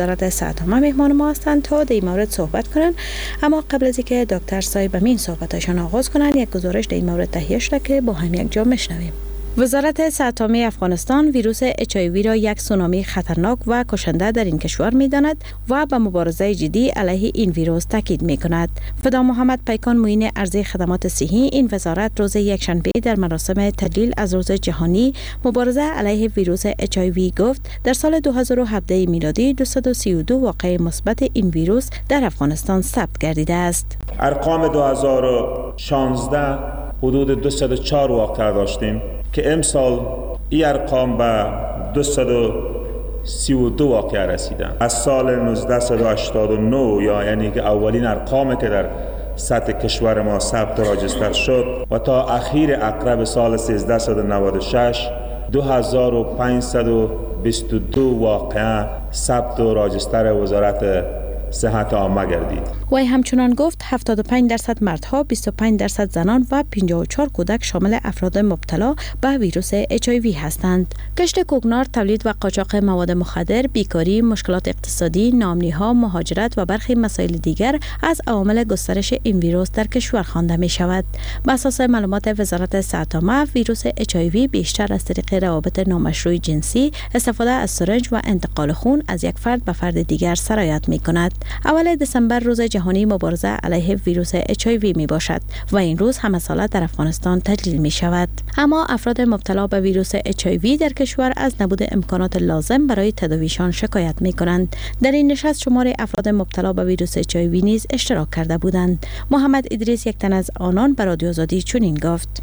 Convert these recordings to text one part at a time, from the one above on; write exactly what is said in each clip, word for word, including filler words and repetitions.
وزارت صحت عامه مهمان ما هستند تا در این مورد صحبت کنند. اما قبل از اینکه دکتر صاحب امین صحبتشان آغاز کنند، یک گزارش در این مورد تهیه شده که با هم یک جا میشنویم. وزارت صحت عامه افغانستان ویروس اچ آی وی را یک سونامی خطرناک و کشنده در این کشور می داند و به مبارزه جدی علیه این ویروس تاکید می کند. فدا محمد پیکان، معین ارزی خدمات صحی این وزارت، روز یکشنبه در مراسم تجلیل از روز جهانی مبارزه علیه ویروس اچ آی وی گفت در سال دو هزار و هفده میلادی دویست و سی و دو واقعه مثبت این ویروس در افغانستان ثبت گردیده است. ارقام دو هزار و شانزده حدود دویست و چهار واقعه داشتیم که امسال این ارقام به دویست و سی و دو واقعه رسیدن. از سال هزار و نهصد و هشتاد و نه یا یعنی که اولین ارقام که در سطح کشور ما ثبت و register شد و تا اخیر عقرب سال هزار و سیصد و نود و شش، دو هزار و پانصد و بیست و دو واقعه ثبت و register وزارت صحت عامه گردید. وی همچنان گفت هفتاد و پنج درصد مردها، بیست و پنج درصد زنان و پنجاه و چهار کودک شامل افراد مبتلا به ویروس اچ آی وی هستند. کشت کوکنار، تولید و قاچاق مواد مخدر، بیکاری، مشکلات اقتصادی، ناامنی ها، مهاجرت و برخی مسائل دیگر از عوامل گسترش این ویروس در کشور خوانده می شود. به اساس معلومات وزارت صحت عامه، ویروس اچ آی وی بیشتر از طریق روابط نامشروع جنسی، استفاده از سرنج و انتقال خون از یک فرد به فرد دیگر سرایت می کند. اول دسامبر روز جهانی مبارزه علیه ویروس اچ آی وی می باشد و این روز همه ساله در افغانستان تجلیل می شود. اما افراد مبتلا به ویروس اچ آی وی در کشور از نبود امکانات لازم برای تداویشان شکایت می کنند. در این نشست شمار افراد مبتلا به ویروس اچ آی وی نیز اشتراک کرده بودند. محمد ادریس، یک تن از آنان، به رادیو آزادی چنین گفت: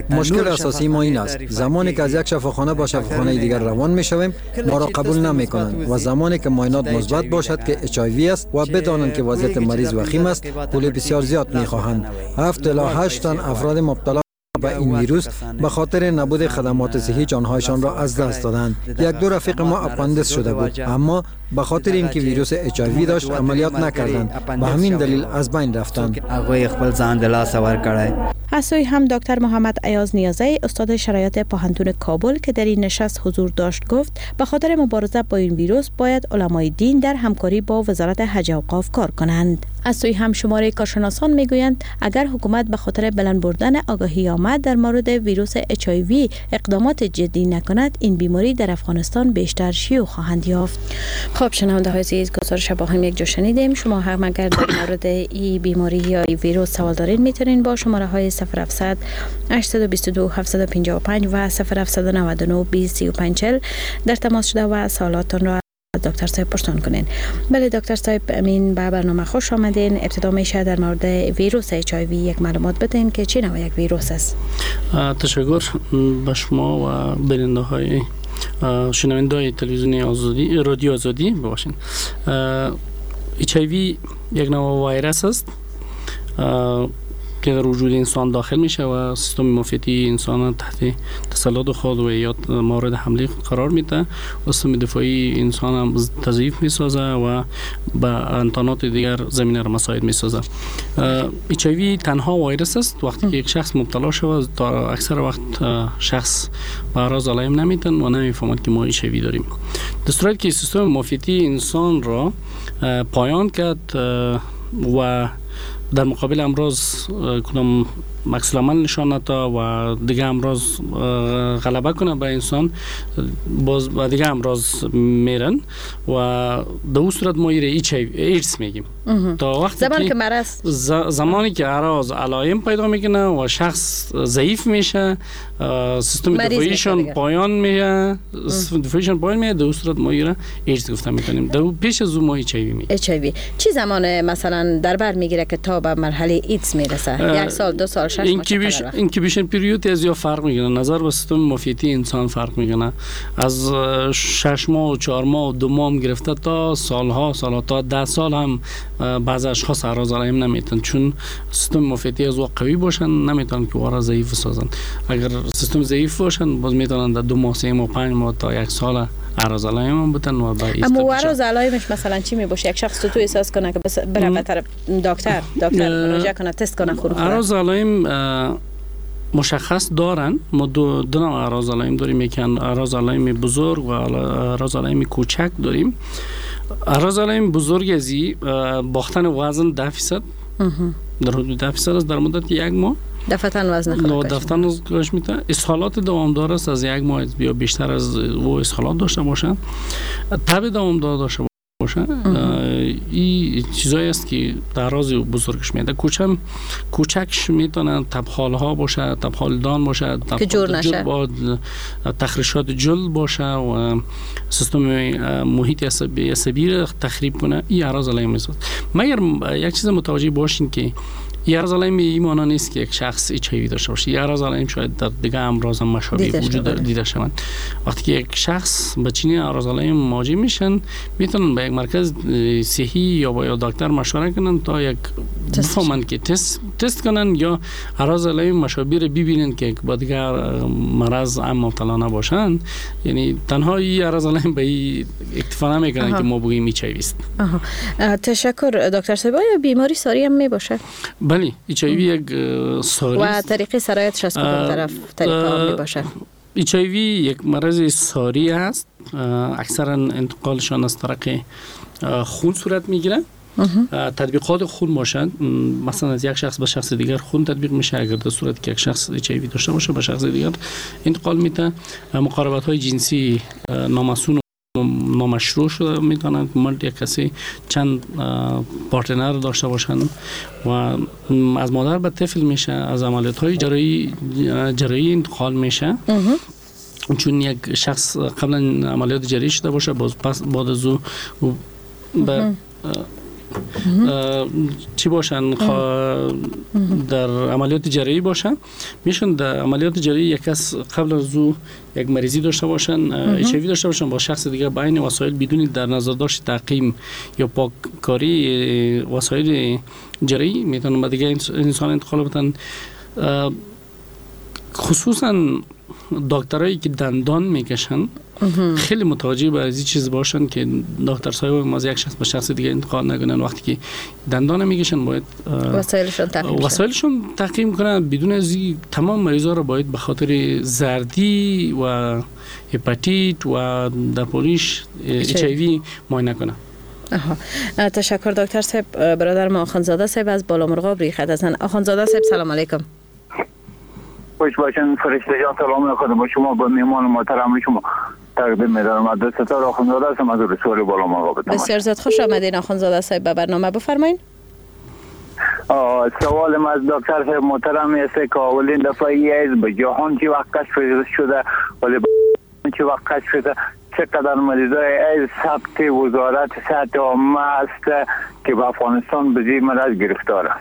مشکل اساسی ما این است، زمانی که از یک شفاخانه به شفاخانه دیگر روان می شویم، ما را قبول نمی کنند و زمانی که معاینات مثبت باشد که اچ آی وی است و بدانند که وضعیت مریض وخیم است، پول بسیار زیاد می خواهند. هفت الی هشت تن افراد مبتلا به این ویروس به خاطر نبود خدمات صحی جانهایشان را از دست دادند. یک دو رفیق ما اپاندیس شده بود، اما به خاطر اینکه ویروس اچ آی وی داشت عملیات نکردند، به همین دلیل از بین رفتند. از سوی هم دکتر محمد ایاز نیازی، استاد شرعیات پوهنتون کابل که در این نشست حضور داشت، گفت به خاطر مبارزه با این ویروس باید علمای دین در همکاری با وزارت حج اوقاف کار کنند. از سوی هم شمار کارشناسان میگویند اگر حکومت به خاطر بلند بردن آگاهی عامه در مورد ویروس اچ آی وی اقدامات جدی نکند، این بیماری در افغانستان بیشتر شیوع خواهند یافت. خب شنونده های عزیز، گزارش با هم یک جا شنیدیم. شما هم اگر در مورد این بیماری یا این ویروس سوال دارین، میتونین با شماره های صفر هفتصد هشتصد و بیست و دو هفتصد و پنجاه و پنج و صفر هفتصد و نود و نه بیست سی و پنج چهل در تماس شده و سوالاتتان را دکتر صاحب پرسان کنین. بله دکتر صاحب امین، به برنامه خوش آمدین. ابتدا میشه در مورد ویروس اچ آی وی یک معلومات بدین که چه نوع یک ویروس است؟ تشکر به شما و بیننده های شنونده های تلویزیون آزادی، رادیو آزادی باشین. اچ آی وی یک نوع ویروس است که در وجود انسان داخل میشه و سیستم معافیتی انسان تحت تسلط خود و یا مورد حمله خود قرار میده و سیستم دفاعی انسان هم تضعیف میسازه و به انتانات دیگر زمینه را مساعد میسازه. اچ آی وی تنها ویروس است. وقتی که یک شخص مبتلا شود، تا اکثر وقت شخص به اعراض علائم نمیتن و نمیفهمد که ما اچ آی وی داریم. در صورتی که سیستم معافیتی انسان را پایان کرد و در مقابل امراض کدام عکس العمل نشان نده و دیگه امراض غلبه کنه به انسان، باز و دیگه امراض میرن و در اون صورت ما ایره ایدز میگیم. تا وقتی زمانی که مرض زمانی که اعراض علائم پیدا میکنه و شخص ضعیف میشه، سیستم دفاعیشون پایان میشه، سیستم دفاعیشون پایان میشه، در اون صورت ما ایره ایدز گفته میتونیم. در پیش از اون ما اچ آی وی میگیم. اچ آی وی چی زمان مثلا در بر میگیره که تا به مرحله ایدز میرسه؟ یک سال، دو سال، شش ماه؟ incubation period از یا فرق میکنه، نظر به سیستم معافیتی انسان فرق میکنه. از شش ماه و چهار ماه و دو ماه هم گرفته تا سالها سالها، تا ده سال هم بعض اشخاص اعراض علائم نمیتن، چون سیستم معافیتی از او قوی باشن نمیتونن که وارا ضعیف سازن. اگر سیستم ضعیف باشن، باز میتونن در دو ماه، سه ماه، پنج ماه تا یک سال اعراض علائم هم بتن و با اما اعراض علائمش مثلا چی می باشه؟ یک شخص تو احساس کنه که بس بره به طرف دکتر دکتر مراجعه کنه، تست کنه خون. اعراض علائم مشخص دارن. ما دو دو نوع اعراض علائم داریم، یکی اعراض علائم بزرگ و اعراض علائم کوچک داریم. اعراض علائم بزرگ ازی باختن وزن ده فیصد در حدود ده فیصد است در مدت یک ماه، دفعتاً وزن خود دفعتاً کاهش میده. اسهالات دوامدار است، از یک ماه یا بیشتر از او اسهالات داشته باشن، تب دوامدار داشته باشه. این چیزایی است که در راز بزرگش میاد. کوچم کوچکش میتونن تبخال ها باشه، تبخال دان باشه، که جور نشه، با تخریشات جلد باشه و سیستم محیط عصبی عصبی را تخریب کنه. این اعراض علائم است. مگر یک چیز متوجه باشین که این اعراض علائم این معنا نیست که یک شخص اچ آی وی داشته باشه. این اعراض علائم شاید در دیگه امراض هم مشابه وجود دیده شوند. وقتی که یک شخص با چنین اعراض علائم مواجه میشن، میتونن به یک مرکز صحی یا با یک دکتر مشوره کنن تا یک بفهمن که تست تست کنن یا اعراض علائم مشابه رو ببینن که با دیگر مرض هم مبتلا نباشن. یعنی تنها این اعراض علائم به این اکتفا نمیکنن که ما بگیم اچ آی وی است. آها. تشکر دکتر صاحب. آیا بیماری ساری هم میباشه؟ بله، اچ آی وی یک ساری و طریق سرایتش از کدام طرف طریقه می باشه؟ اچ آی وی یک مرض ساری است، اکثرا انتقالشان از طریق خون صورت میگیره. تطبیقات خون باشند، مثلا از یک شخص به شخص دیگر خون تطبیق میشه. اگر در صورت که یک شخص اچ آی وی داشته باشه به شخص دیگر انتقال میده. مقاربت های جنسی نامصون نامشروع شده میتونند مرد یک کسی چند partner داشته باشند و از مادر به طفل میشه، از عملیات های جراحی جراحی انتقال میشه. چون یک شخص قبلا عملیات جراحی شده باشه، باز پس بعد از او به چی باشن در عملیات جراحی باشن میشن. در عملیات جراحی یک کس قبل از او یک مریضی داشته باشن، اچ آی وی داشته باشن، با شخص دیگه با این وسایل بدون در نظر داشت تعقیم یا پاککاری وسایل جراحی میتونن به دیگه انسان انتقال بدن. خصوصا دکترایی که دندان میکشن خیلی متوجه به از این چیز باشن که دکتر صاحب ما از یک شخص به شخص دیگه انتقال نکنن. وقتی که دندان میکشن باید وسایلشون تعقیم وسایلشون تعقیم کنن. بدون از این تمام مریضا رو باید به خاطر زردی و هپاتیت و در پولیش اچ آی وی معاینه کنن. آها. تشکر دکتر صاحب. برادر ما آخوندزاده صاحب از بالامرغاب ریخت هستن. آخوندزاده صاحب سلام علیکم. خوش باشین فرشته جان، سلام خدمت با شما با میهمان محترم شما تقدیم می‌دارم. از ستار آخوندزاده هستم از رسول بالامرغاب. بسیار زیاد خوش آمدین آخوندزاده صاحب به برنامه. بفرمایین. سوال ما از دکتر صاحب محترم است که اولین دفعه ایدز به جهان چه وقت کشف شده، ولی چه وقت کشف شده، چقدر مریضای ایدز ثبت وزارت صحت عامه است که به افغانستان به این مرض گرفتار است.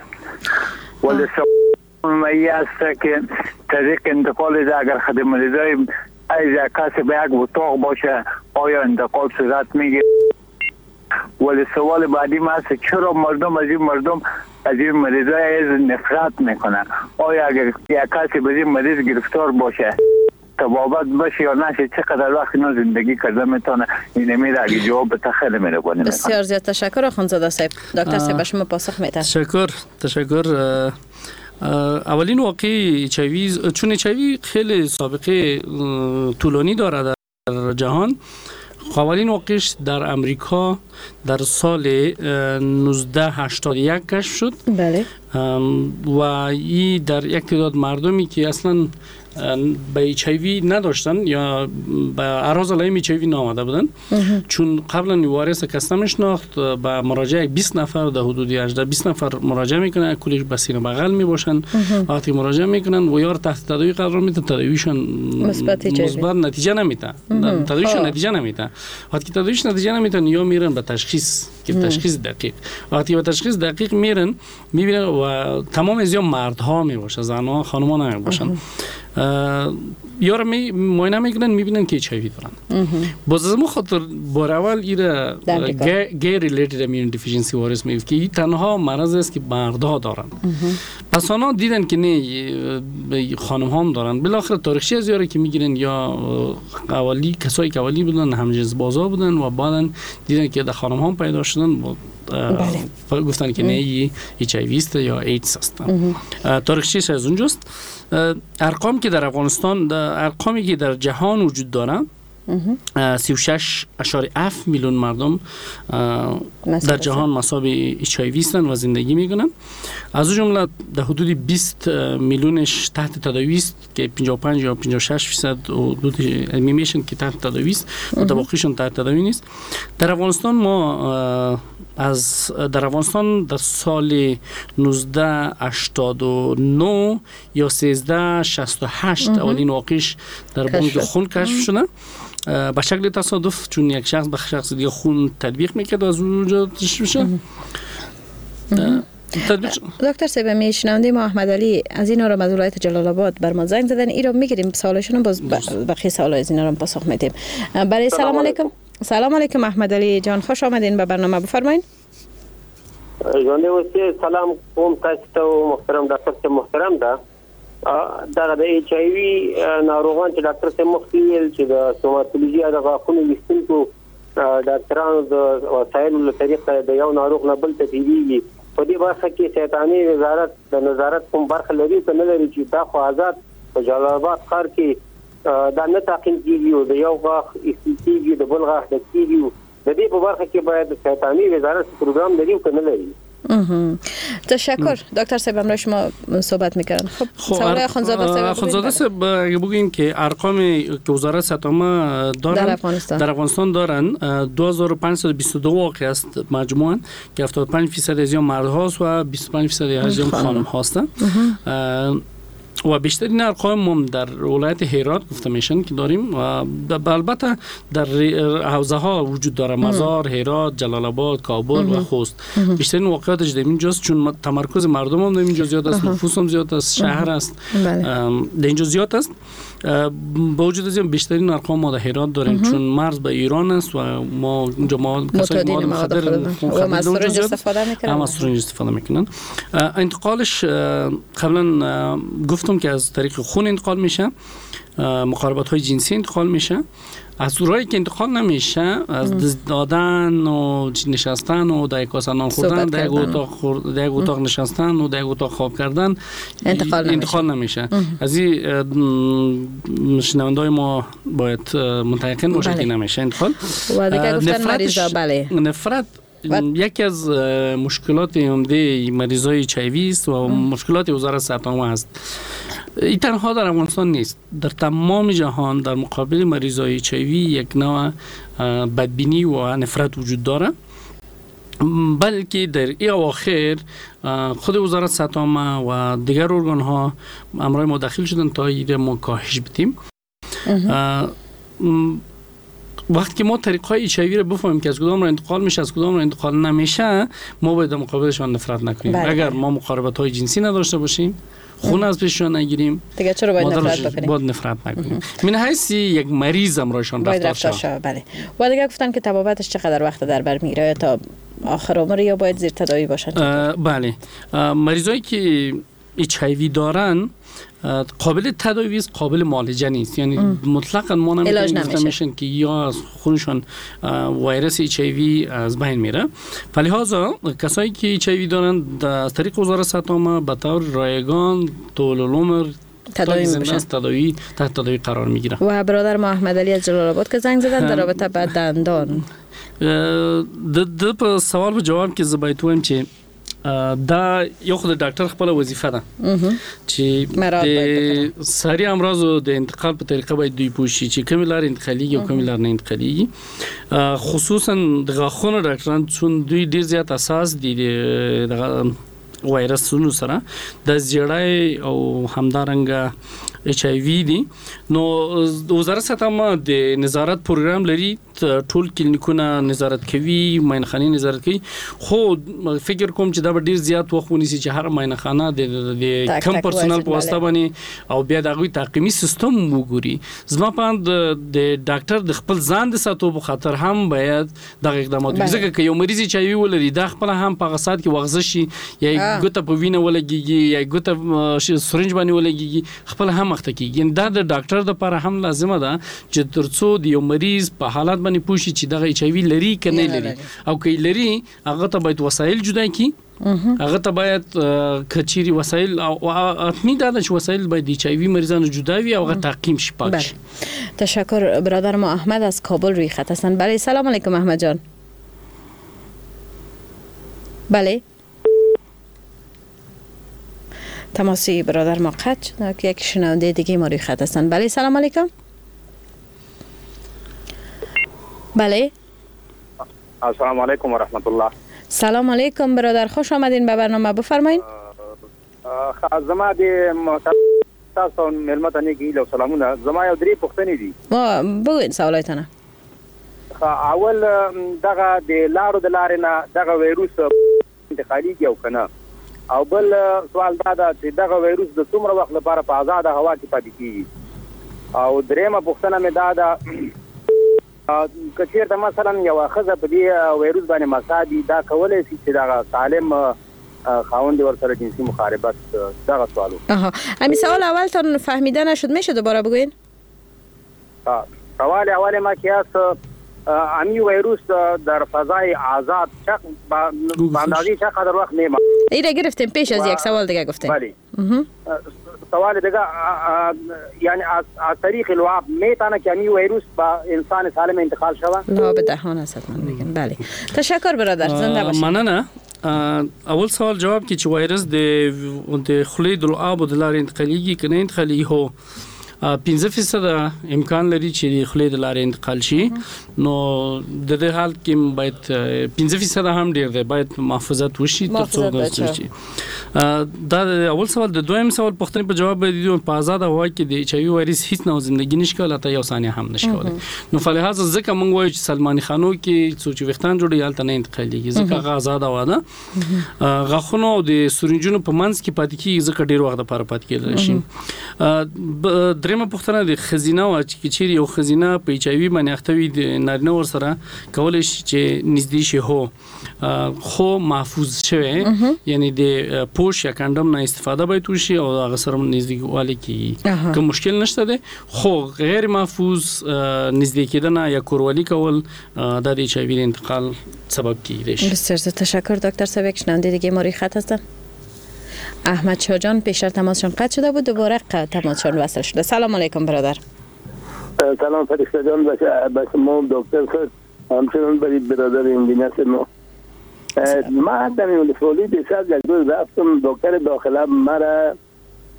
ولی سوال است که طریق انتقال اگر خود مریضای ایدز کسی به یک اتاق باشه آیا انتقال صورت میگیره؟ ولی سوال بعدی ما است چرا مردم از این مردم از این مریضای ایدز نفرت میکنن؟ آیا اگر یک کسی به این مریض گرفتار باشه طبابت باشه یا نشه چقدر وقت اینا زندگی کرده میتونه؟ این میره اگه جواب به خیلی مهربانی میکنه. بسیار زیاد تشکر آخوندزاده صاحب. دکتر صاحب شما پاسخ میدن. تشکر تشکر. اولین واقعی اچ آی وی، چون اچ آی وی خیلی سابقه طولانی داره در جهان، اولین واقعش در امریکا در سال نوزده هشتاد و یک کشف شد. بله. و این در یک تعداد مردمی که اصلا به اچ آی وی نداشتن یا به اعراض علائم اچ آی وی نامده بودن، چون قبلا وارث کس نمیشناخت، به مراجعه بیست نفر در حدود هجده بیست نفر مراجعه میکنن، کلش به سینه بغل میباشن. وقتی مراجعه میکنن و یار تحت تداوی قرار میدن، تداویشون مثبت مثبت نتیجه نمیده، تداویشون نتیجه نمیده. وقتی تداویش نتیجه نمیدن یا میرن به تشخیص که تشخیص دقیق، وقتی به تشخیص دقیق میرن میبینن و تمام از یا مردها میباشه، زنها خانم‌ها نمیباشن، یار می معاینه میکنن میبینن که اچ آی وی دارن. باز از مو خاطر بار اول ایره gay related immune deficiency virus میگه که این تنها مرض است که مردها دارن. پس آنها دیدن که نه خانم هم دارن. بالاخره تاریخچه از یاره که میگیرن یا اولی کسایی که اولی بودن همجنس بازا بودن و بعدن دیدن که در خانم هم پیدا شدن، بله. گفتن که نه اچ آی وی است یا ایدز است. تاریخچه از اونجاست. ارقام که در افغانستان، ارقامی که در جهان وجود داره، سی و شش اعشاریه هفت میلیون مردم در جهان مصاب اچ آی وی هستند و زندگی میکنن. از جمله در حدود بیست میلیونش تحت تداوی است که پنجاه و پنج یا پنجاه و شش درصد حدود میمیشن که تحت تداوی است و باقیشون تحت تداوی نیست. در افغانستان ما از در افغانستان در سال نوزده هشتاد و نه یا سیزده شصت و هشت اولین واقعش در بانک خون کشف شده به شکل تصادف، چون یک شخص به شخص دیگه خون تطبیق میکرد و از اونجا تشخیص میشه. دکتر صاحب، میشنوندیم ما احمد علی از اینا رو از ولایت جلال آباد بر ما زنگ زدن، ای رو میگیریم سوالشون، باز بقیه سوال از اینا رو پاسخ میدیم. برای سلام علیکم. سلام علیکم احمد علی جان، خوش آمدین به برنامه، بفرمایین. ژوندی اوسې. سلام کوم تاسو ته محترم ډاکټر صاحب محترم ده. دغه د اچ آی وی ناروغان چې ډاکټر صاحب مخکې ویل چې د ستوماتولوژي د غاښونو ویستونکو ډاکټرانو د وسایلو له طریقه د یو ناروغ نه بل ته تېرېږي، په دې برخه کې صحتاني وزارت د نظارت کوم برخه لري که نه لري؟ چې دا خو آزاد په جلال آباد ښار کې دا نه تعقیم کېږي او د یو غاښ ایستل کېږي د بل غاښ ډک کېږي. د دې په برخه کې باید صحتاني وزارت پروګرام لري او که نه لري؟ تشکر دکتر صاحب، همراه شما صحبت میکردن. خب سوال اخوندزاده صاحب. اخوندزاده صاحب، اگه بگیم که ارقام که وزارت صحت عامه دارن در افغانستان در افغانستان دارن دو هزار و پانصد و بیست و دو واقع است مجموعاً که هفتاد و پنج درصد از مرد هاست و بیست و پنج درصد از خانم هاستن و بیشترین ارقام هم در ولایت هرات گفته میشن که داریم و البته در حوزه ها وجود داره، مزار، هرات، جلال آباد، کابل و خوست. بیشترین واقعاتش در اینجاست چون تمرکز مردم هم در اینجا زیاد است، نفوس هم زیاد است، شهر است، در اینجا زیاد است. با وجود از این بیشترین ارقام ما در هرات داریم چون مرز به ایران است و ما اونجا ما کسایی مواد مخدر و از استفاده میکنن، هم از سرنج استفاده میکنن. انتقالش قبلا گفتم که از طریق خون انتقال میشه، مقاربت های جنسی انتقال میشه. از راهی که انتقال نمیشه از دست دادن و نشستن و در یک کاسه نان خوردن، در یک اتاق خورد، در یک اتاق نشستن و در یک اتاق خواب کردن انتقال نمیشه. انتقال نمیشه. از این شنوندای ما باید متیقن باشه که نمیشه انتقال. و دیگه گفتن مریضا بله نفرت یکی از مشکلات عمده مریضای اچ آی وی است و مشکلات وزارت صحت عامه است. این تنها در افغانستان نیست، در تمام جهان در مقابل مریضای اچ آی وی یک نوع بدبینی و نفرت وجود داره، بلکه در این اواخر خود وزارت صحت عامه و دیگر ارگان ها امرای ما داخل شدن تا ایده ما کاهش بدیم. وقتی که ما طریق‌های اچ آی وی رو بفهمیم که از کدام رو انتقال میشه از کدام رو انتقال نمیشه، ما باید در مقابلشان نفرت نکنیم. بله. اگر ما مقاربت‌های جنسی نداشته باشیم، خون از پیششان نگیریم، دیگه چرا باید نفرت بکنیم؟ باید نفرت نکنیم. من حیث یک مریض امرایشان رفتار شود. بله. و دیگه گفتن که طبابتش چقدر وقت در بر میگیره تا آخر عمر یا باید زیر تداوی باشن؟ بله. مریضایی که اچ آی وی دارن قابل تداوی است، قابل معالجه نیست. یعنی مطلقاً ما نمیتونیم گفته میشن که یا از خونشون ویروس اچ آی وی از بین میره. فلهذا کسایی که اچ آی وی دارن از طریق وزارت صحت عامه به طور رایگان طول العمر تداوی میشن، تداوی تحت تداوی قرار میگیره. و برادر ما احمد علی از جلال آباد که زنگ زدن در رابطه با دندان، د د په سوال په جواب کې زه باید ووایم چې دا یو خو د ډاکټر خپله وظیفه ده چې د ساري امراضو د انتقال په طریقه باید دوی پوه شي چې کومې لارې انتقالېږي او کومې لارې نه انتقالېږي. خصوصا د غاښونو ډاکټران چون دوی ډېر زیات اساس دي دغه وایرسونو سره، د زیړی او همدارنګه اچ آی وی دي. نو وزارت صحت عامه د نظارت پروګرام لري، ټول کلینیکونه نظارت کوي، معاینهخانې نظارت کوي. خو فکر کوم چې دا به ډیر زیات وخت ونیسي چې هر معاینهخانه د د کم پرسونل په واسطه باندې او بیا د هغوی تعقیمي سیستم وګوري. زما په اند د ډاکټر د خپل ځان د ساتو په خاطر هم باید دغه اقدامات وکړي، ځکه که یو مریض اچ آی وی ولري دا خپله هم په هغه ساعت کې وغزه شي یا ګوته په وینه ولګېږي یا ګوته سرنج باندې ولګېږي، خپله هم اخته کیږي. یعنی دا د ډاکټر لپاره هم لازمه ده چې ترڅو د یو مریض په حالت باندې پوه شي چې دغه اچ آی وي لري که نه لري، او که یې لري هغه ته باید وسایل جدا کړي، هغه ته باید کچيري وسایل او حتمي دا ده چې وسایل باید د اچ آی وي مریضانو جدا وي او هغه تعقیم شي، پاک شي. تشکر. برادر ما احمد از کابل روی خط هستند. بله سلام علیکم احمد جان. بله تماسی برادر ما قطع شد که یک شنونده دیگه ما روی خط هستند. بله سلام علیکم. بله السلام علیکم و رحمت الله. سلام علیکم برادر، خوش آمدین به برنامه، بفرمایین. زما د تاسو مېلمه ته نیک هیله او سلامونه. زما یو درې پوښتنې دي. بگوین سوالایتانه. اول دغه د لارو د لارې نه دغه ویروس انتقالیږي او که نه؟ او بل سوال دا ده چې دغه ویروس د څومره وخت لپاره په آزاده هوا کې پاتې کیږي؟ او درېیمه پوښتنه مې دا ده که چېرته مثلا یوه ښځه په دې ویروس باندې مصاب وي، دا کولی شي چې دغه سالم خاوند ورسره جنسي مخاربت؟ دغه سوال. آها، همین سوال اولتان فهمیده نشد، میشه دوباره بگوین؟ سوال اول ما که هست امی ویروس در فضای آزاد به اندازه چقدر وقت میماند؟ ایره گرفتیم پیش از یک سوال دیگه گفتیم. بله. سوال دیگه یعنی از از طریق لعاب میتونه که امی ویروس با انسان سالم انتقال شود؟ لعاب دهان است حتما میگن. بله تشکر برادر، زنده باشید. مننه. اول سوال جواب کې چې وایرس د د خولې د لعابو د لارې انتقالیږي که نه انتقالیږي؟ هو، پنځه فیصده امکان لري چې د خولې د لارې انتقال شي، نو د دې حال کې باید پنځه فیصده هم ډیر دی، باید محافظت وشي ترڅو داسې شي. دا اول سوال. د دویم سوال پوښتنې په جواب باید په آزاده هوا کې د اچ آی وي وایرس هیڅ نوع زندګي نشي کولی، حتی یو ثانیه هم نشي کولی. نو فلهذا ځکه موږ وایو چې سلماني خانو کې څو چې ویښتان جوړوي هلته نه انتقالیږي، ځکه هغه آزاده هوا ده. غاښونو او د سورنجونو په منځ کې پاتې کیږي، ځکه ډیر وخت لپاره پاتې کېدلی شي. درېیمه پوښتنه د ښځینه وه چې که چیرې یو ښځینه په اچ آی وي باندې اخته وي، د نارینه ورسره کولی شي چې نږدې شي، هو خو محفوظ شوی، یعنی د پوش یا کنډم نه استفاده باید وشي او هغه سره نږدېوالی کیږي، کوم مشکل نشته دی. خو غیر محفوظ نږدې کېدنه یا کوروالی کول دا د اچ آی وي د انتقال سبب کیدای شي. بسیار تشکر دکتر صاحب. یک شنونده دیگه ما روی خط هستن. احمد شاه جان پیشتر تماسشان قطع شده بود، دوباره تماسشان وصل شده. سلام علیکم برادر. سلام فرشته جان، به شما دکتر صاحب، همچنان برای برادر انجینر ما. ما در ولسوالی دیشب یک روز رفتم دکتر داخله مرا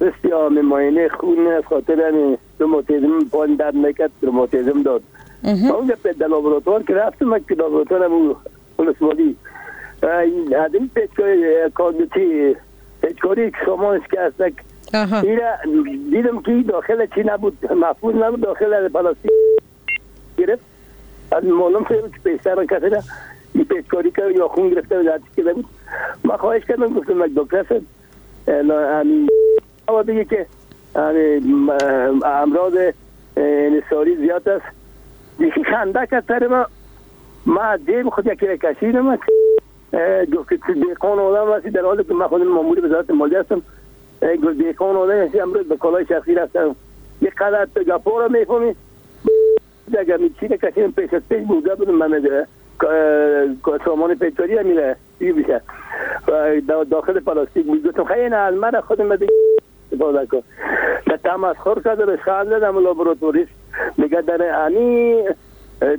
بسیار معاینه خون از خاطر همین روماتیزم پایین درد میکرد، روماتیزم داد. اونجا به لابراتوار که رفتم، که لابراتوار هم ولسوالی از این پیچکاری پیچکاری سامانش که هست دیدم که داخل چی نبود، محفوظ نبود، داخل پلاستیک گرفت. از معلوم شد که پیشتر کسی را این پیچکاری کرد یا خون گرفته و هرچی که بود. من خواهش کردم، گفتم یک دکتر صاحب همین بگه که امراض انحصاری زیاد است. یکی خنده کرد سر ما، ما جیب خود یکی را کشیدم، گفت که دهقان آدم هستی، در حالی که من خودم مامور وزارت مالیه هستم. گفت دهقان آدم هستی، امروز به کالای شخصی رفتم، یه قدر تو گپا را میفهمی. اگر چی را کشیدم پیش از پیش بوده بودم، من سامان پیچکاری هم میره بیشه و داخل پلاستیک بود. گفتم خیلی نه، از من خودم بده استفاده کن. در تمسخر کرد و رشخند زدم. لابراتوریست میگه در امی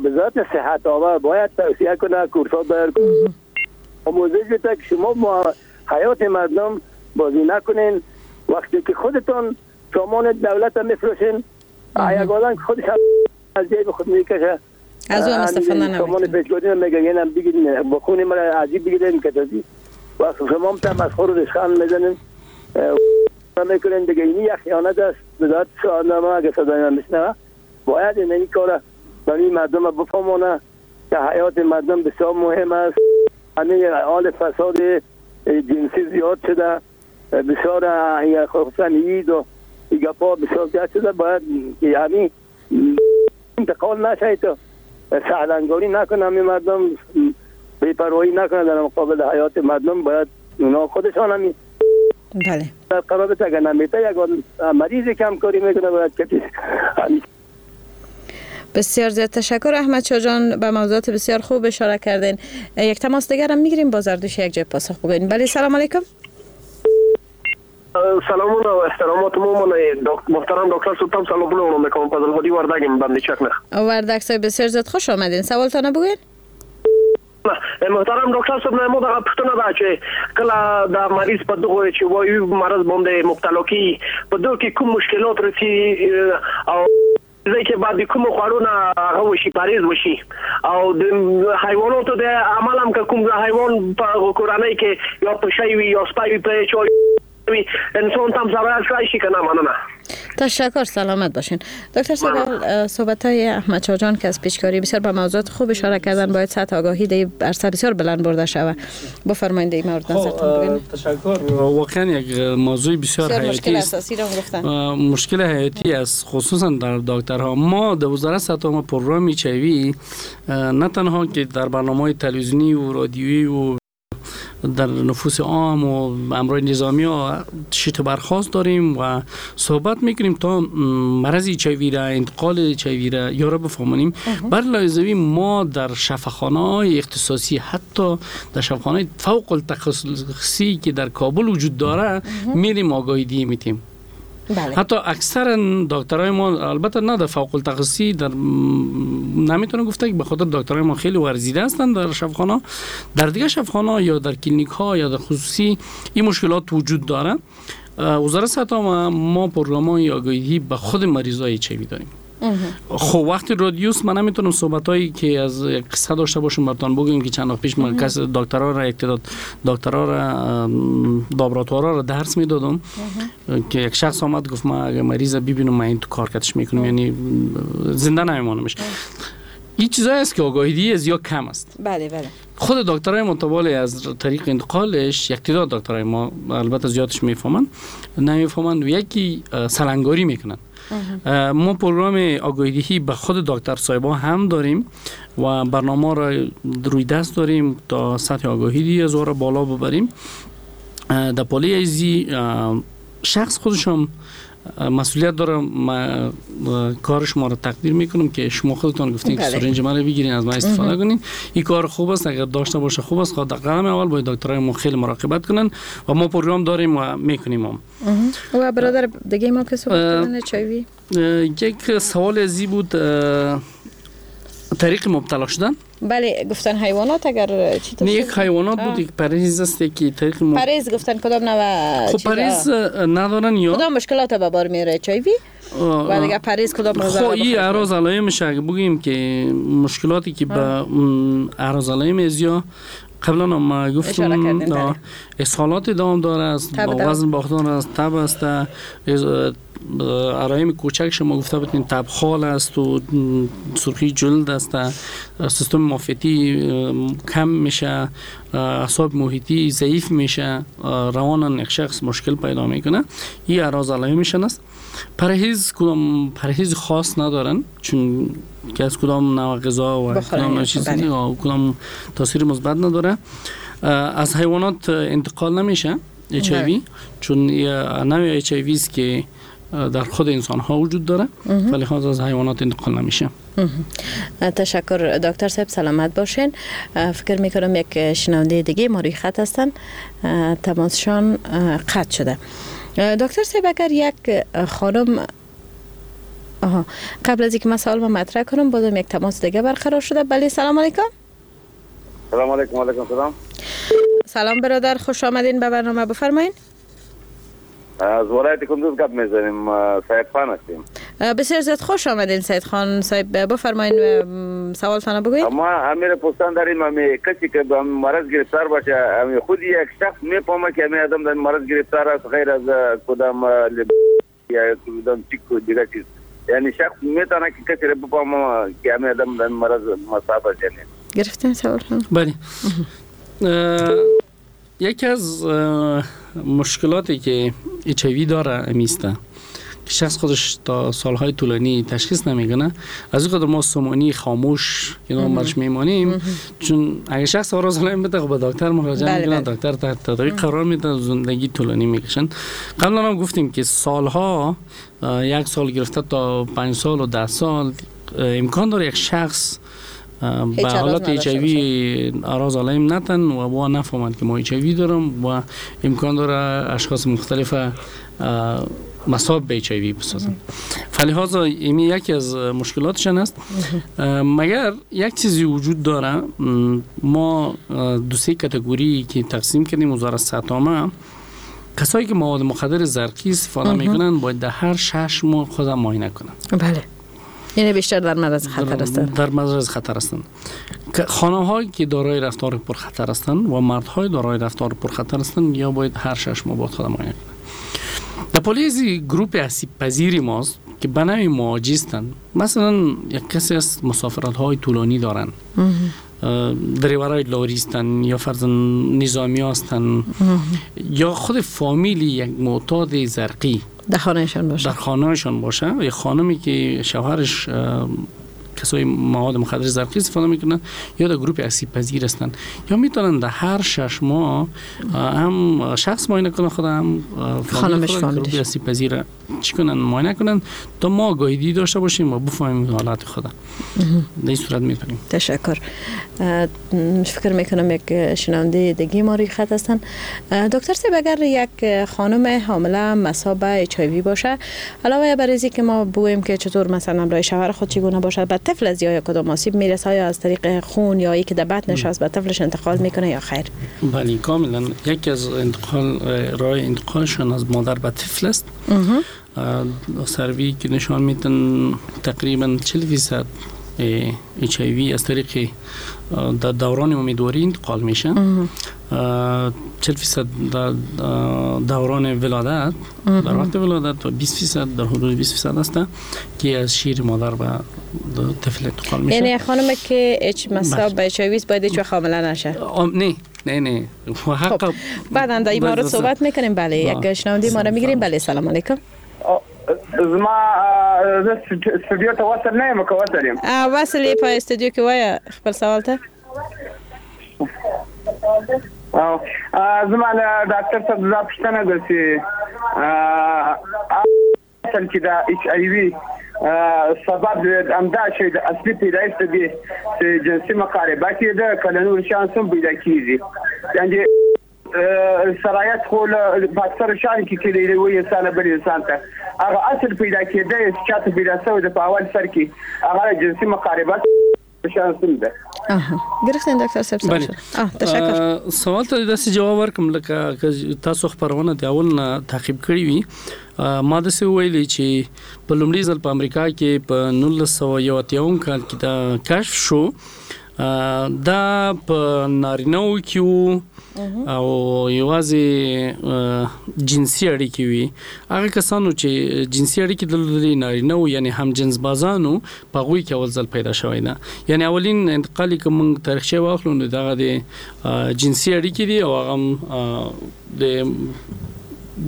وزارت صحت آور باید توصیه کنه، کورسات باید آموزش بده که شما با حیات مردم بازی نکنین. وقتی که خودتون سامان دولت هم میفروشین، یک آدم که خودش از جیب خود میکشه از او هم استفاده نمیکنه. سامان پیچکاری میگه اینم بگیرین، با خون مرا عجیب بگیرین که تازی وقتی شما هم تمسخر و رشخند میزنین میکنین دیگه. اینی یک خیانت است. وزارت صحت اگه صدای من بشنوه باید این کار برای مردم بفهمونه که حیات مردم بسیار مهم است. همه حال فساد جنسی زیاد شده، بسیار خصوصا اید و گپا بسیار زیاد شده. باید که همین انتقال نشه، تو سهلنگاری نکنه، همین مردم بی‌پروایی نکنه در مقابل حیات مردم. باید اونا خودشان همین بله. قرار بده اگر نمیته یک مریض کم کاری میکنه باید کسی. بسیار زیاد تشکر احمد شاه جان، به موضوعات بسیار خوب اشاره کردین. یک تماس دیگر هم میگیریم، با زردوش یک جای پاسخ بگوین. بله سلام علیکم. سلامونه او احترامات مو محترم دکتر سلطان سلامونه وړاندې کوم. فضل هادي وردګ یم بندي چک نه. وردګ صاحب بسیار زیاد خوش آمدین، سوالتان بگوین. محترم ډاکټر صاحب نه مو دغه پوښتنه ده چې کله دا مریض په دغه چې وایي مرض باندې مبتلا کی په دغه کې کوم مشکلات رسی او ځکه بعد کوم خوړونه هغه وشي پاریز وشي او د حیواناتو د عمل هم کوم حیوان په کورنۍ کې یا پشی وي یا سپی وي په چای انسان تام ضرر کړی شي کنه. مننه. تشکر، سلامت باشین. دکتر صاحب صحبت های احمد شاه جان که از پیشکاری بسیار به موضوعات خوب اشاره کردن، باید سطح آگاهی در عرصه بسیار بلند برده شود. بفرمایید این مورد نظرتون بگین. تشکر. واقعا یک موضوع بسیار حیاتی مشکل اساسی را گفتن. مشکل حیاتی است خصوصا در دکترها. ما در وزارت صحت ما پروگرام اچ آی وی نه تنها که در برنامه‌های تلویزیونی و رادیویی و در نفوس عام و امرای نظامی ها شیت برخواست داریم و صحبت میکنیم تا مرض اچ آی وی را، انتقال اچ آی وی را یا را بفهمونیم. بر لازمی ما در شفاخانه های اختصاصی، حتی در شفاخانه فوق التخصصی که در کابل وجود داره، میریم آگاهی دی میتیم. بله. حتی اکثر دکترای ما البته نه در فوق التخصصی در نمیتونه گفته که به خاطر دکترای ما خیلی ورزیده هستند در شفاخانه، در دیگه شفاخانه یا در کلینیک ها یا در خصوصی این مشکلات وجود داره. وزارت صحت ما ما پروگرام های آگاهی به خود مریضای اچ آی وی داریم. خب وقتی رادیوس من نمیتونم صحبت هایی که از قصه داشته باشم براتون بگم که چند وقت پیش من کس دکترا را یک تعداد دکترا را لابراتوارا را درس میدادم که یک شخص آمد گفت من اگه مریض ببینم من این تو کار کتش میکنم، یعنی زنده نمیمانمش. این چیزایی است که آگاهی دی از یا کم است. بله بله. خود دکترای متوالی از طریق انتقالش یک تعداد دکترای ما البته زیادش میفهمن نمیفهمن و یکی سلنگاری میکنن. ما پروگرام آگاهی به خود دکتر صاحبا هم داریم و برنامه را روی دست داریم تا سطح آگاهی دی از را بالا ببریم. در پالی ازی شخص خودشم مسئولیت داره. ما کار شما رو تقدیر میکنم که شما خودتون گفتین که سرنج من رو بگیرین از من استفاده کنین. این کار خوب است، اگر داشته باشه خوب است. خود در قدم اول باید دکترای ما خیلی مراقبت کنن و ما پروگرام داریم و میکنیم هم. و برادر دیگه ما که صحبت کردن اچ آی وی یک سوال ازی بود، طریق مبتلا شدن. بله گفتن حیوانات اگر چی نه یک حیوانات بود، یک پرهیز است که طریق مب... پرهیز گفتن کدام نوع خب پرهیز ندارن یا کدام مشکلات به بار میاره اچ آی وی و دیگه پرهیز کدام خب این اعراض علائمش اگه بگیم که مشکلاتی که به اعراض علائم ازیا قبلا ما گفتم اسهالات دوام داره است، با وزن باختن است، تب است، علائم کوچک شما گفته بودین تبخال است و سرخی جلد است، سیستم معافیتی کم میشه، اعصاب محیطی ضعیف میشه، روان یک شخص مشکل پیدا میکنه. این اعراض علائمشان است. پرهیز کدام پرهیز خاص ندارن چون که از کدام نوع غذا و کدام چیز کدام تاثیر مثبت نداره. از حیوانات انتقال نمیشه اچ آی وی چون نوع اچ آی وی است که در خود انسان ها وجود داره، ولی خاص از حیوانات انتقال نمیشه. تشکر دکتر صاحب، سلامت باشین. فکر میکنم یک شنونده دیگه ما روی خط هستن، تماسشان قطع شده. دکتر صاحب اگر یک خانم آها قبل از اینکه من سوال ما مطرح کنم بازم یک تماس دیگه برقرار شده. بله سلام علیکم. سلام علیکم. علیکم سلام. سلام برادر، خوش آمدین به برنامه، بفرمایین. از ولایت کندوز گپ میزنیم، سید خان هستیم. بسیار زیاد خوش آمدین سید خان صاحب، بفرمایین سوالتان بگوین. ما امیر پوستان داریم، امی کسی که به مرض گرفتار باشه، امی خود یک شخص میفهمه که امی آدم در مرض گرفتار است غیر از کدام یا کدام چیک دیگه چیز، یعنی شخص میتونه که کسی را بفهمه که امی آدم در مرض مصاب است. یعنی گرفتین سوالتان؟ بله. یکی از مشکلاتی که اچ آی وی داره امیسته که شخص خودش تا سالهای طولانی تشخیص نمیکنه، از این قدر ما سمانی خاموش که نام برش میمانیم، چون اگه شخص آراز علائم بده خب به دکتر مراجعه میکنه، دکتر تحت تداوی قرار میده، زندگی طولانی میکشن. قبلا هم گفتیم که سالها، یک سال گرفته تا پنج سال و ده سال امکان داره یک شخص به حالت اچ آی وی اعراض علائم نتن و با نفهمند که ما اچ آی وی دارم و امکان داره اشخاص مختلف مصاب به اچ آی وی بسازن. فلهذا این یکی از مشکلاتشان است. مگر یک چیزی وجود داره، ما دو سه category که تقسیم کردیم وزارت صحت عامه، کسایی که مواد مخدر زرقی استفاده میکنن باید در هر شش ماه خود معاینه کنن. بله، یعنی بیشتر در معرض خطر هستند. در معرض خطر هستند. خانم‌هایی که دارای رفتار پرخطر هستند و مردهای دارای رفتار پرخطر هستند یا باید هر شش ماه باید خود معاینه کنند. در پالیزی گروپ آسیب پذیری ماست که به نوعی مواجه‌استند. مثلا یک کسی از مسافرت‌های طولانی دارند، دریورای لاری هستند یا فرضاً نظامی هستند یا خود فامیلی یک معتاد زرقی در خانهشان باشه، در خانهشان باشه، یا خانمی که شوهرش کسای مواد مخدر زرقی استفاده میکنن یا در گروپ آسیب پذیر هستند، یا میتونن در هر شش ماه هم شخص معاینه کنن خود، هم خانمش گروپ آسیب پذیر چی کنن معاینه کنن تا ما آگاهی داشته باشیم و بفهمیم حالت خود. در این صورت میتونیم. تشکر. فکر میکنم یک شنونده دیگه ما روی خط هستن. دکتر صاحب، اگر یک خانم حامله مصاب به اچ آی وی باشه، علاوه بر اینکه که ما بگوییم که چطور مثلا برای شوهر خود چگونه باشه، به طفل از یا کدام آسیب میرسه، یا از طریق خون یا یکی در بطنش از به طفلش انتقال میکنه یا خیر؟ بله کاملا. یکی از انتقال راه انتقالشون از مادر به طفل است. سروی که نشان میدن تقریبا چهل درصد اچ آی وی از طریق در دوران امیدواری انتقال میشه، چهل درصد در دوران ولادت، در وقت ولادت، و بیست درصد در حدود بیست درصد است که از شیر مادر به طفل انتقال میشه. یعنی خانم که اچ مصاب به اچ آی وی باید هیچ وقت حامله نشه؟ نه نه نه. خب بعدا در این مورد صحبت میکنیم. بله، یک شنونده ما را میگیریم. بله، سلام علیکم. زما زه استودیو ته وصل نه یم، که وصل یم؟ وصل یې په استودیو کې، وایه خپل سوال ته. زما له ډاکټر صاحب دا پوښتنه ده چې اصل کې دا اچ آی وي سبب همدا چې د اصلي پیدایښت د دې چې جنسي مقاربه کې ده، که له نورو شیانو څخه پیدا کېږي؟ یعنې سرایت خو په اکثرو شیانو کې کېدی یو انسان بل انسان ته هغه اصل پیدا کېدی چې چاته پیدا شوی ده په اول سر کې، هغه جنسي مقاربه شیان سم ده. آها، گرفتین دکتر صاحب؟ بله. آه، تشکر. سوال ته داسې جواب ورکم لکه که تاسو خپرونه د اول نه تعقیب کړې وي. ما داسې وویلې چې په لومړي ځل په امریکا کې په نولس سوه یو اتیاوم کال کې دا کشف شو. دا په نارینهو کې وو او یوازې جنسي اړیکې وي. هغه کسانو چې جنسي اړیکې درلودلې نارینه وو، یعنی همجنسبازانو، په هغوی کې اول ځل پیدا شوی ده. یعنی اولین انتقال که موږ تاریخچه واخلو نو دغه د جنسي اړیکې دي او هغه هم د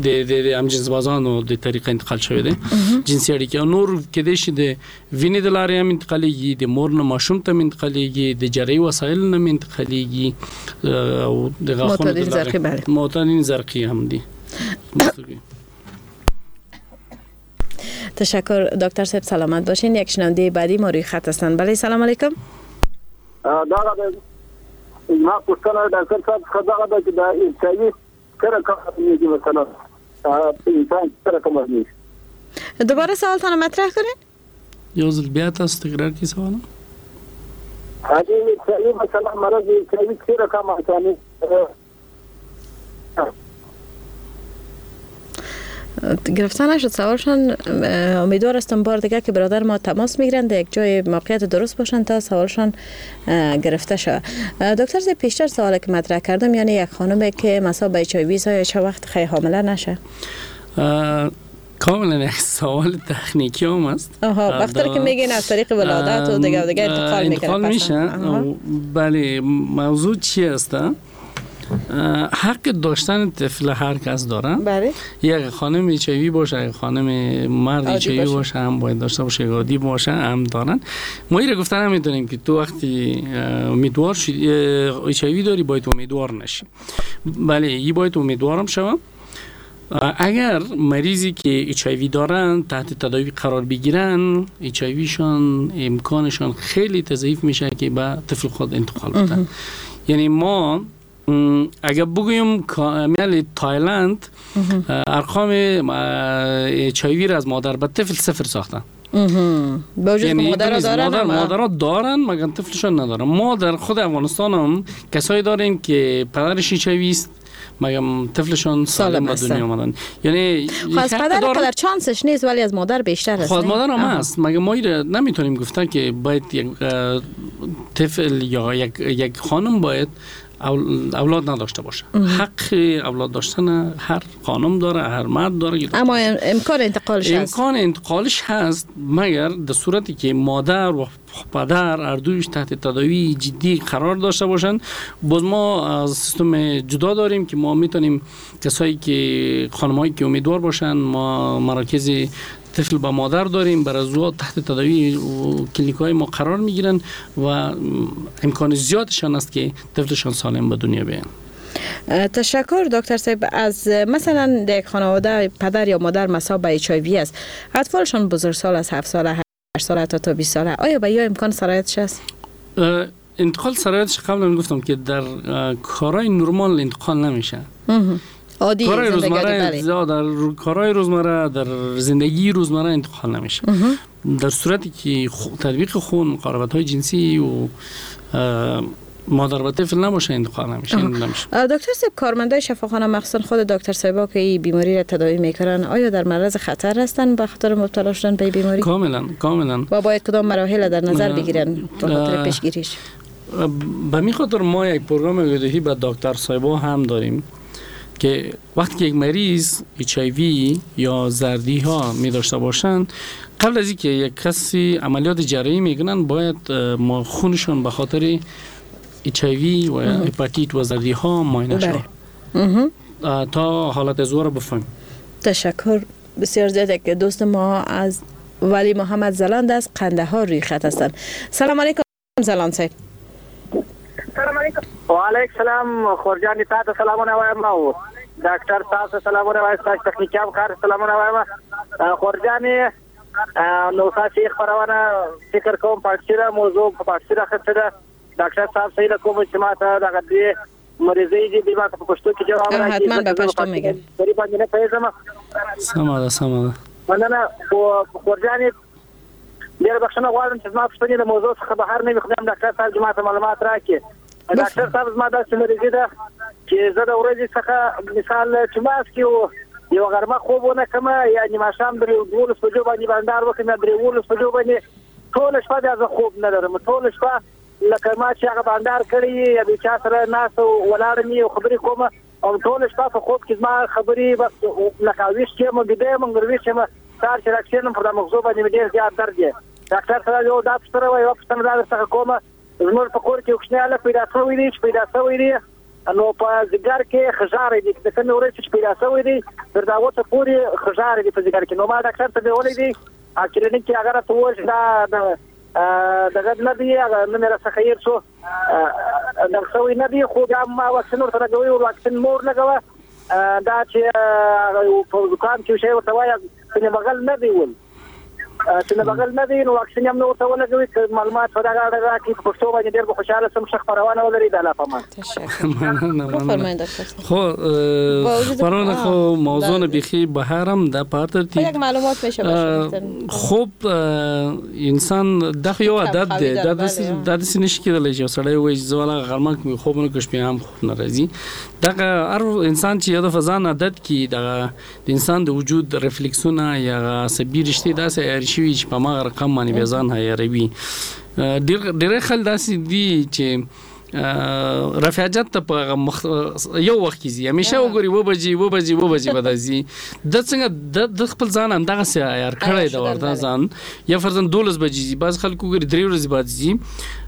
د د همجنسبازانو د طریقه انتقال شوی دی جنسي اړیکې. او نور کېدای شي د وینې د لارې هم انتقالېږي، د مور نه ماشوم ته هم انتقالېږي، د جراحي وسایل نه هم انتقالېږي، او د غاښونو د لارې معتادین زرقي هم دي. تشکر دکتر صاحب، سلامت باشین. یک شنونده بعدی ما روی خط هستند. بله، سلام علیکم. دغه زما پوښتنه ډاکټر صاحب څخه دغه ده چې د اچ آی وي مثلا انسان څه رقم هضمېږي؟ دوباره سوالتان مطرح کنین. یو ځل بیا تاسو تکرار کړئ سوال. هغه چې مثلا مرض چې څه رقم اساني گرفته نشد سوالشان. امیدوار هستم بار دیگه که برادر ما تماس میگیرن در یک جای موقعیت درست باشن تا سوالشان گرفته شود. دکتر زی پیشتر سوالی که مطرح کردم، یعنی یک خانم که مصاب به اچ آی وی یا چه وقت خیلی حامله نشه؟ کاملا یک سوال تکنیکی هم است. آها، وقتی که میگین از طریق ولادت و دیگه دیگه انتقال میکنه، انتقال میشه. بله، موضوع چی است؟ حق داشتن طفل هر کس داره. بله. یک خانم اچ آی وی باشه، یک خانم مرد اچ آی وی باشه هم باید داشته باشه، عادی باشه هم دارن. ما اینو گفتن نمیتونیم که تو وقتی امیدوار شدی اچ آی وی داری باید امیدوار نشی. بله، ای باید امیدوارم شوم. اگر مریضی که اچ آی وی دارن تحت تداوی قرار بگیرن، اچ آی وی شان امکانشان خیلی تضعیف میشه که به طفل خود انتقال بدن. یعنی ما اگر بگویم کامل تایلند ارقام اچ آی وی را از مادر به طفل صفر ساختن. با وجود یعنی مادرها دارن، مادر مادرها دارن مگر طفلشان ندارن. ما در خود افغانستان هم کسایی داریم که پدرش اچ آی وی است مگر طفلشان سالم به دنیا آمدن. یعنی از پدر قدر چانسش نیست ولی از مادر بیشتر است. خود مادر هم هست، مگر ما نمیتونیم گفتن که باید یک طفل یا یک یک خانم باید اولاد نداشته باشه. حق اولاد داشتن هر خانم داره، هر مرد داره، اما امکان انتقالش هست. امکان انتقالش هست مگر در صورتی که مادر و پدر هر دویش تحت تداوی جدی قرار داشته باشن. باز ما از سیستم جدا داریم که ما میتونیم کسایی که خانمایی که امیدوار باشن، ما مراکز طفل با مادر داریم، بر از او تحت تداوی و کلینیک های ما قرار میگیرن و امکان زیادشان است که طفلشان سالم به دنیا بیان. تشکر دکتر صاحب. از مثلا یک خانواده پدر یا مادر مصاب به اچ آی وی است، اطفالشان بزرگسال از هفت ساله، هشت ساله تا تا بیست ساله، آیا به یا امکان سرایتش است؟ انتقال سرایتش قبلا گفتم که در کارهای نرمال انتقال نمیشه. عادی کارهای زندگی روزمره، در کارهای روزمره، در زندگی روزمره انتقال نمیشه. در صورتی که تطبیق خون، مقاربت های جنسی و مادر به طفل نباشه انتقال نمیشه. دکتر صاحب، کارمندای شفاخانه مخصوصا خود دکتر صاحبا که این بیماری را تداوی میکنن، آیا در معرض خطر هستن به خاطر مبتلا شدن به بیماری؟ کاملا کاملا. و باید کدام مراحل در نظر بگیرن به خاطر پیشگیریش؟ به می خاطر ما یک پروگرام آگاهی به دکتر صاحبا هم داریم که وقتی که یک مریض اچ آی وی یا زردی ها می داشته باشند، قبل از اینکه یک کسی عملیات جراحی میکنن باید ما خونشون به خاطر اچ آی وی و هپاتیت و زردی ها معاینه شود تا حالت ازو را بفهمیم. تشکر بسیار زیاد. که دوست ما از ولی محمد زلاند از قندهار روی خط هستند. سلام علیکم زلاند صاحب. سلام علیکم. و علیک سلام خورجان، تاسو سلامونه وایم او ډاکټر تاسو سلامونه وایم، تاسو تخنیکي همکار سلامونه وایم. خورجان، نو تاسو خبرونه فکر کوم پارسي را موضوع په پارسي راخسته ده. ډاکټر صاحب صحیح کوم چې ما ته دغه دې مریضي دي ما ته په پښتو کې جواب راکړي. حتما به پښتو میګم. درې باندې نه پوهېږم. سمه ده سمه ده. مننه خورجان، ډېره بخښنه غواړم چې زما پوښتنې له موضوع څخه بهر نه وي، خو بیا هم ډاکټر صاحب چې ما ته معلومات راکړي. ډاکټر صاحب، زما داسې مریضي ده چې زه د ورځې څخه مثال چې ماس کې یو غرمه خوب ونه کړم، یعنې ماښام درې دولس بجو باندې بندار وکړم یا درې اوولس بجو باندې ټوله شپه بیا زه خوب نه لرم. ټوله شپه لکه ما چې هغه بندار کړی یا د چا سره ناست ولاړم یو خبرې کوم، او ټوله شپه په خوب کې زما خبرې بس لکه ویښ یم، ویده یم، مګر ویښ یم. سهار چې راکښېنم پر دا مغزو باندې مې ډېر زیات درد دی. ډاکټر صاحب، یو دا پوښتنه وه، یوه پوښتنه دا درڅخه کومه. زموږ په کور کې یو کوچنی هلک پیدا شوی دی، چې پیدا شوی دی نو په ځیګر کې خژاری دی، د کومې ورځې چې پیدا شوی دی تر دا اوسه پورې خژاری دی په ځیګر کې. نو ما ډاکټر ته بیولی دی، کلینیک کې هغه راته وویل چې دا دغه نه دی، هغه نوم یې راڅخه هېر شو، دغه شوی نه دی، خو بیا ما واکسین ورته لګوي، واکسین مور لګوه. دا چې په زکام کې شی ورته وایي چې بغل نه دی ول، چې بغل نه دی نو واکسین هم نه ورته ولګوي. که معلومات په دغه اړه راکړي په پښتو باندې ډېر به خوشحاله شم. ښه خپرونه ولري، د الله په امان. مننه. خو خپرونه خو موضوع نه بیخي بهر هم ده، په هر ترتیب یک معلومات میشه باشه. خوب انسان دا خو یو عادت دی، دا داسې دا داسې نشي کېدلی چې یو سړی ووایي چې زه والا غرمه کې خوب نه کوم، شپې هم خوب نه راځي. دغه هر انسان چې یو دفعه ځان عادت کړي، دغه د انسان د وجود رفلکسونه یا عصبي رشتې داسې عیار شوي چې په هماغه رقم باندې بیا ځان عیاروي. ډېر ډېری خلک داسې دي چې رفع حاجت ته په مخ... یو وخت کې ځي، همیشه وګوري اووه بجې اووه بجې اووه بجې به راځي. د څنګه د خپل ځان همدغسې عیار کړی دی ورته ځان، یا فرضاً دولس بجې ځي، بعض خلک وګوري درې ورځې بعد ځي.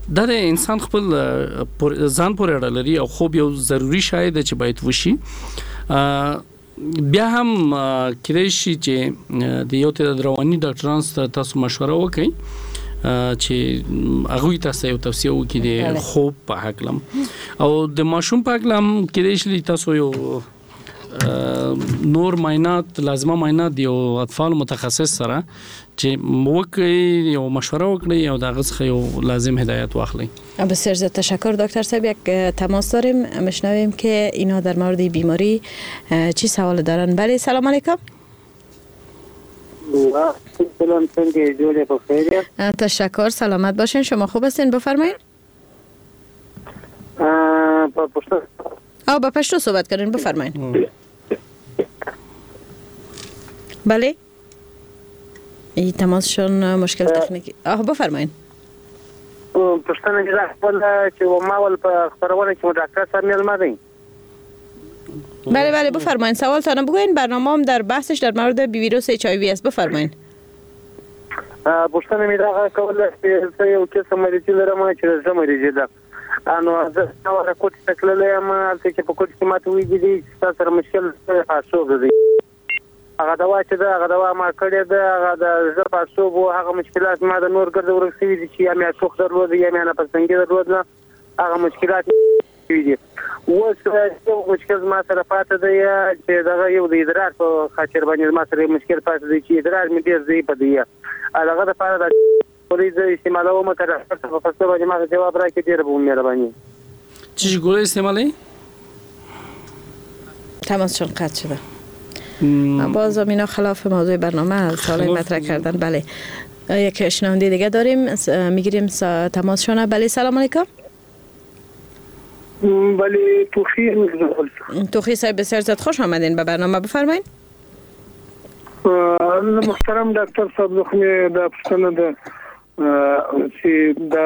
دا د انسان خپل ځان پورې اړه لري او خوب یو ضروري شی دی چې باید وشي. بیا هم کېدای شي چې د یو تعداد رواني ډاکټرانو سره تاسو مشوره وکړئ چې هغوی تاسو یو توصیه وکړي د خوب په هکله او د ماشوم په هکله هم کېدای شي تاسو یو نور معاینات، لازمه معاینات د یو اطفال متخصص سره چې وکړئ، یو مشوره وکړئ او د هغه څخه یو لازم هدایت واخلئ. بسیار زیاد تشکر دکتر صاحب. یک تماس داریم، میشنویم که اینا در مورد بیماری چی سوال دارن. بله، سلام علیکم. سلام، څنګه جوړ په خیر؟ تشکر، سلامت باشین. شما خوب هستین؟ بفرمایید. په پښتو او به پښتو صحبت کردین، بفرمایید. بله، این تماسشون مشکل تخنیکی. آه بفرمایید. پوښتنه مې دا کوله چې ما ول په خپرونه کې مو ډاکټر صاحب مېلمه دی. بله بله، بفرمایید سوالتان بگوین. برنامه هم در بحثش در مورد ویروس اچ آی وی است. بفرمایید. پوښتنه مې دا کوله چې زه یو قسم مریضي لرم چې د زړه مریضي ده. نو زه ورته کوټې ته تللی یم، هلته چې په کوټې کې ماته ویلي دي چې ستا سره مشکل پاړسوب دی. هغه دوا چې ده هغه دوا ما کړې ده، هغه د زړه پاړسوب و، هغه مشکلات ما د نور ګرده ورک شوي دي چې یا مې ټوخ درلود یا مې نفستنګي درلوده، هغه مشکلات شوي دي. اوس یو مشکل زما سره پاتې دی چې دغه یو د ادرار په خاطر باندې زما سره یو مشکل پاتې دی چې ادرار مې ډېر ضعیفه دی. هغه دپاره د ګولۍ زه استعمالوم، که ډاکټر صاحب په پښتو باندې ما ته جواب راکړي ډېره به مهرباني. چی ګولۍ استعمالوي؟ تماسشون قطع شده. باز اینا خلاف موضوع برنامه سوال مطرح کردن. بله، یک شنونده دیگه داریم، میگیریم تماسشون. بله، سلام علیکم. بله، توخی توخی صاحب، بسیار زیاد خوش آمدین به برنامه. بفرمایید. محترم ډاکټر صاحب، زه خو مې دا پوښتنه ده چې د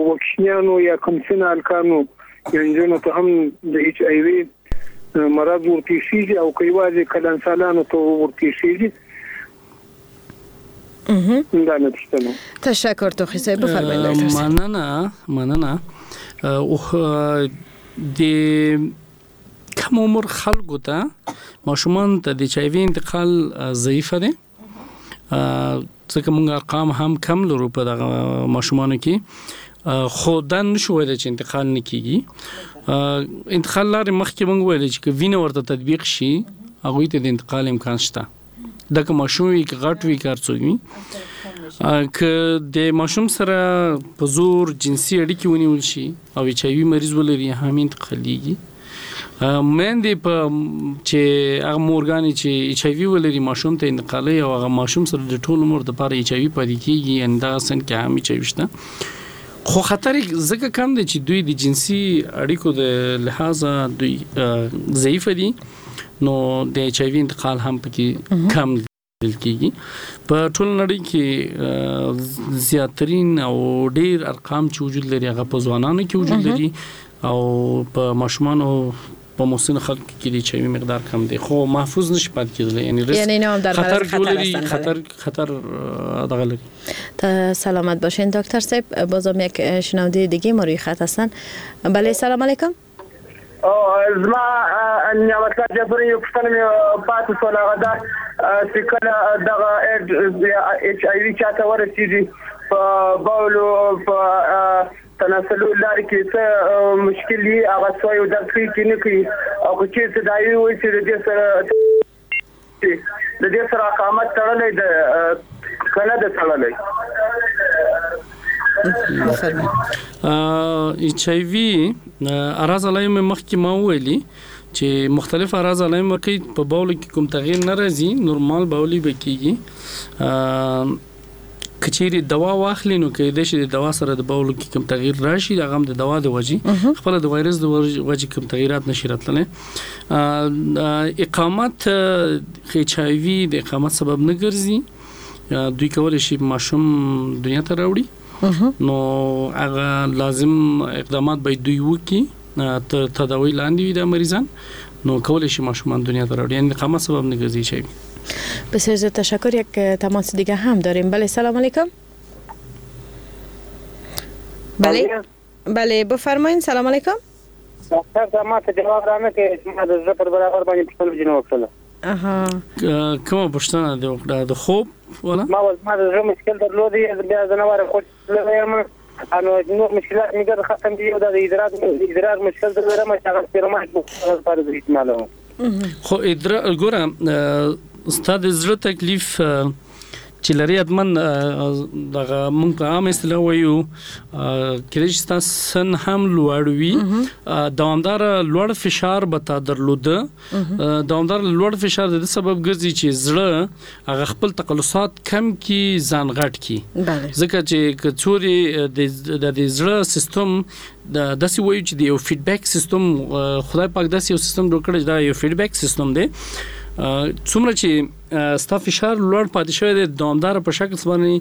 وکشنیانو یا کمسنه هلکانو یا نجونو ته هم د اچ آی وي مرض ورپېښېږي او که یوازې کلنسالانو ته ورپېښېږي؟ دا مې پوښتنه. تشکر توخی صاحب، بفرمایید ډاکټر صاحب. مننه مننه. د کم عمر خلکو ته، ماشومان ته د اچ آی وي انتقال ضعیفه دی، ځکه موږ ارقام هم کم لرو په دغه ماشومانو کې، خو دا نشو ویلی چې انتقال نه کیږي. انتقال لارې مخکې موږ ویلې چې که وینه ورته تطبیق شي هغوی ته د انتقال امکان شته، دا که ماشوم وي که غټ وي که هر څوک وي. که د ماشوم سره په زور جنسي اړیکې ونیول شي او اچ آی وي مریض ولري هم انتقالیږي. میندې په چې هغه مورګانې چې اچ آی وي ولري ماشوم ته انتقالوي او هغه ماشوم سره د ټول عمر دپاره اچ آی وي پاتې کېږي، یعنې دغه سن کې هم اچ آی وي شته. خو خطر یې ځکه کم دی چې دوی د جنسي اړیکو د لحاظه دوی ضعیفه دي، نو د اچ آی وي انتقال هم پکې کم لیدل کېږي. په ټوله نړۍ کې زیاترین او ډېر ارقام چې وجود لري هغه په ځوانانو کې وجود لري او په ماشومانو په مسن خلکو کې د اچ آی وي مقدار کم دی، خو محفوظ نشي پاتې کېدلی، یعنی ریسک خطر لري، خطر خطر دغه لري. تا سلامت باشین دکتر صاحب. بازم یک شنونده دیگه ما روی خط هستن. بله، سلام علیکم. زما نعمت الله جبري یو پوښتنه مې پاتې شوله، هغه دا چې کله دغه اچ آی وي چاته ورسېږي په بولو په تناسلو لارې کې څه مشکل وي، هغه سوی او درد کوي که نه کوي، او که چېرته دایي وي چې د دې سره د دې سره اقامت تړلی ده که نه ده تړلی؟ اچ آی وي اعراض علایم مخکې ما وویلي چې مختلف اعراض علایم ورکوي، په بولو کې کوم تغییر نه راځي، نورمال بولي به کېږي. که چیرې دوا واخلي نو کېدای شي د دوا سره د بولو کې کوم تغییر راشي، هغه هم د دوا د وجې، خپله د وایرس د وجې کوم تغییرات نشي راتللی. اقامت اچ آی وي د اقامت سبب نه ګرځي، دوی کولی شي ماشوم دنیا ته راوړي، نو هغه لازم اقدامات باید دوی وکړي، تر تداوي لاندې وي دا مریضان، نو کولی شي ماشومان دنیا ته راوړي، یعنې اقامت سبب نه ګرځي اچ آی وي. بسیار زیاد تشکر. یک تماس دیگه هم داریم. بله، سلام علیکم. بله بله بفرمایین. سلام علیکم. ډاکټر صاحب ما ته جواب رانه کړ چې ما د زړه پر برابر باندې پوښتنه ځینې وکړله. اها کومه پوښتنه دې وکړه؟ د خوب ولا؟ ما ما د زړه مشکل درلود، بیا زه نه وارم خو یم نو نور مشکلات مې ګرد ختم دي، او دا د ادرار ادرار مشکل لرم چې هغه سپیرمایټ لپاره زه استعمالوم. خو ادرار ګوره ستا د زړه تکلیف چې لري حتما دغه مونږ په عام اصطلاح وایو کېدای شي ستا سن هم لوړ وي، دوامداره لوړ فشار به تا درلوده. دوامداره لوړ فشار د دې سبب ګرځي چې زړه هغه خپل تقلصات کم کړي، ځان غټ کړي، ځکه چې که څورې د دې زړه سیستم د داسې وایو چې د یو فیډبک سیستم، خدای پاک داسې یو سیستم جوړ کړی چې دا یو فیډبک سیستم دی. څومره چې ستا فشار لوړ پاتې شوی دی دوامداره په شکل باندې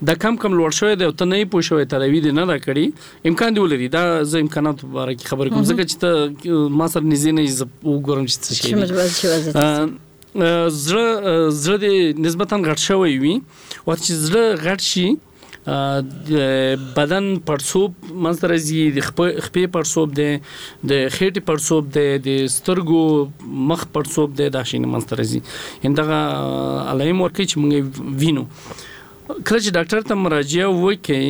دا کم کم لوړ شوی دی او ته نه یې پوه شوی، تداوي دې نه ده کړې، امکان دې ولري. دا زه امکاناتو په باره کې خبرې کوم ځکه چې ته ما سره نږدې نه یې، زه وګورم چې څه شی دی. زړه زړه دې نسبتاً غټ شوی وي، وخت چې زړه غټ شي بدن پړسوب منځته راځي، د خپې پړسوب دی، د خېټې پړسوب دی، د سترګو مخ پړسوب دی، دا شیونه منځته راځي. یعنې دغه علایم ورکوي چې موږ یې وینو. کله چې ډاکټر ته مراجعه وکړئ،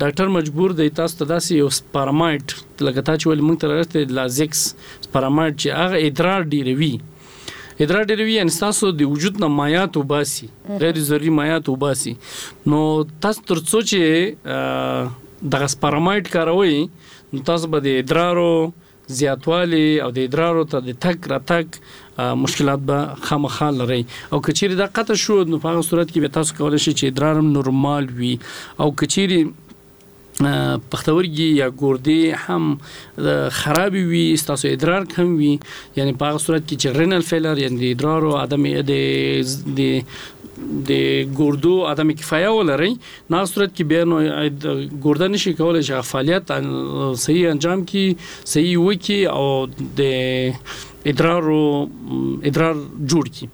ډاکټر مجبور دی تاسو ته داسې یو سپارامایډ لکه تا چې ویل موږ ته راغلی لازکس سپارامایډ چې هغه ادرار ډېروي، ادرار ډېروي یعنې ستاسو د وجود نه مایعات وباسي، غیر ضروري مایعات وباسي. نو تاسو تر څو چې دغه سپارامایډ کاروئ نو تاسو به د ادرارو زیاتوالی او د ادرارو ته د تګ راتګ مشکلات به خامخا لرئ. او که چیرې دا قطع شو نو په هغه صورت کې به تاسو کولی شئ چې ادرار هم نورمال وي. او که چیرې پښتورګي یا ګردې هم خرابې وي، ستاسو ادرار کم وي، یعنی په هغه صورت کې چې renal failure یعنی د ادرارو عدم د د د ګردو عدم کفایه ولرئ، نو هغه صورت کې بیا نو ګرده نشي کولی چې فعالیت صحیح انجام کړي، صحیح وکړي او د ادرارو ادرار جوړ کړي.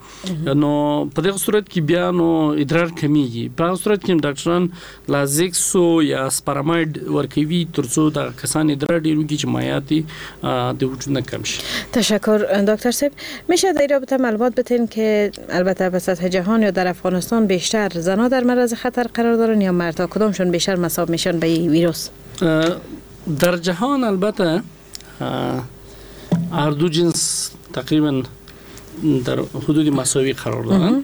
نو په دغه صورت کې بیا نو ادرار کمیږي. په هغه صورت کې ډاکټران لازکسو یا سپارامایډ ورکوي ترڅو دا کسان ادرار ډیر وکړي چې مایعات د وجود نه کم شي. تشکر دکتر صاحب. میشه در رابطه معلومات بتین که البته به سطح جهان یا در افغانستان بیشتر زنها در معرض خطر قرار دارن یا مردها، کدامشون بیشتر مصاب میشن به این ویروس؟ در جهان البته هر دو جنس تقریبا در حدود مساوی قرار دارن،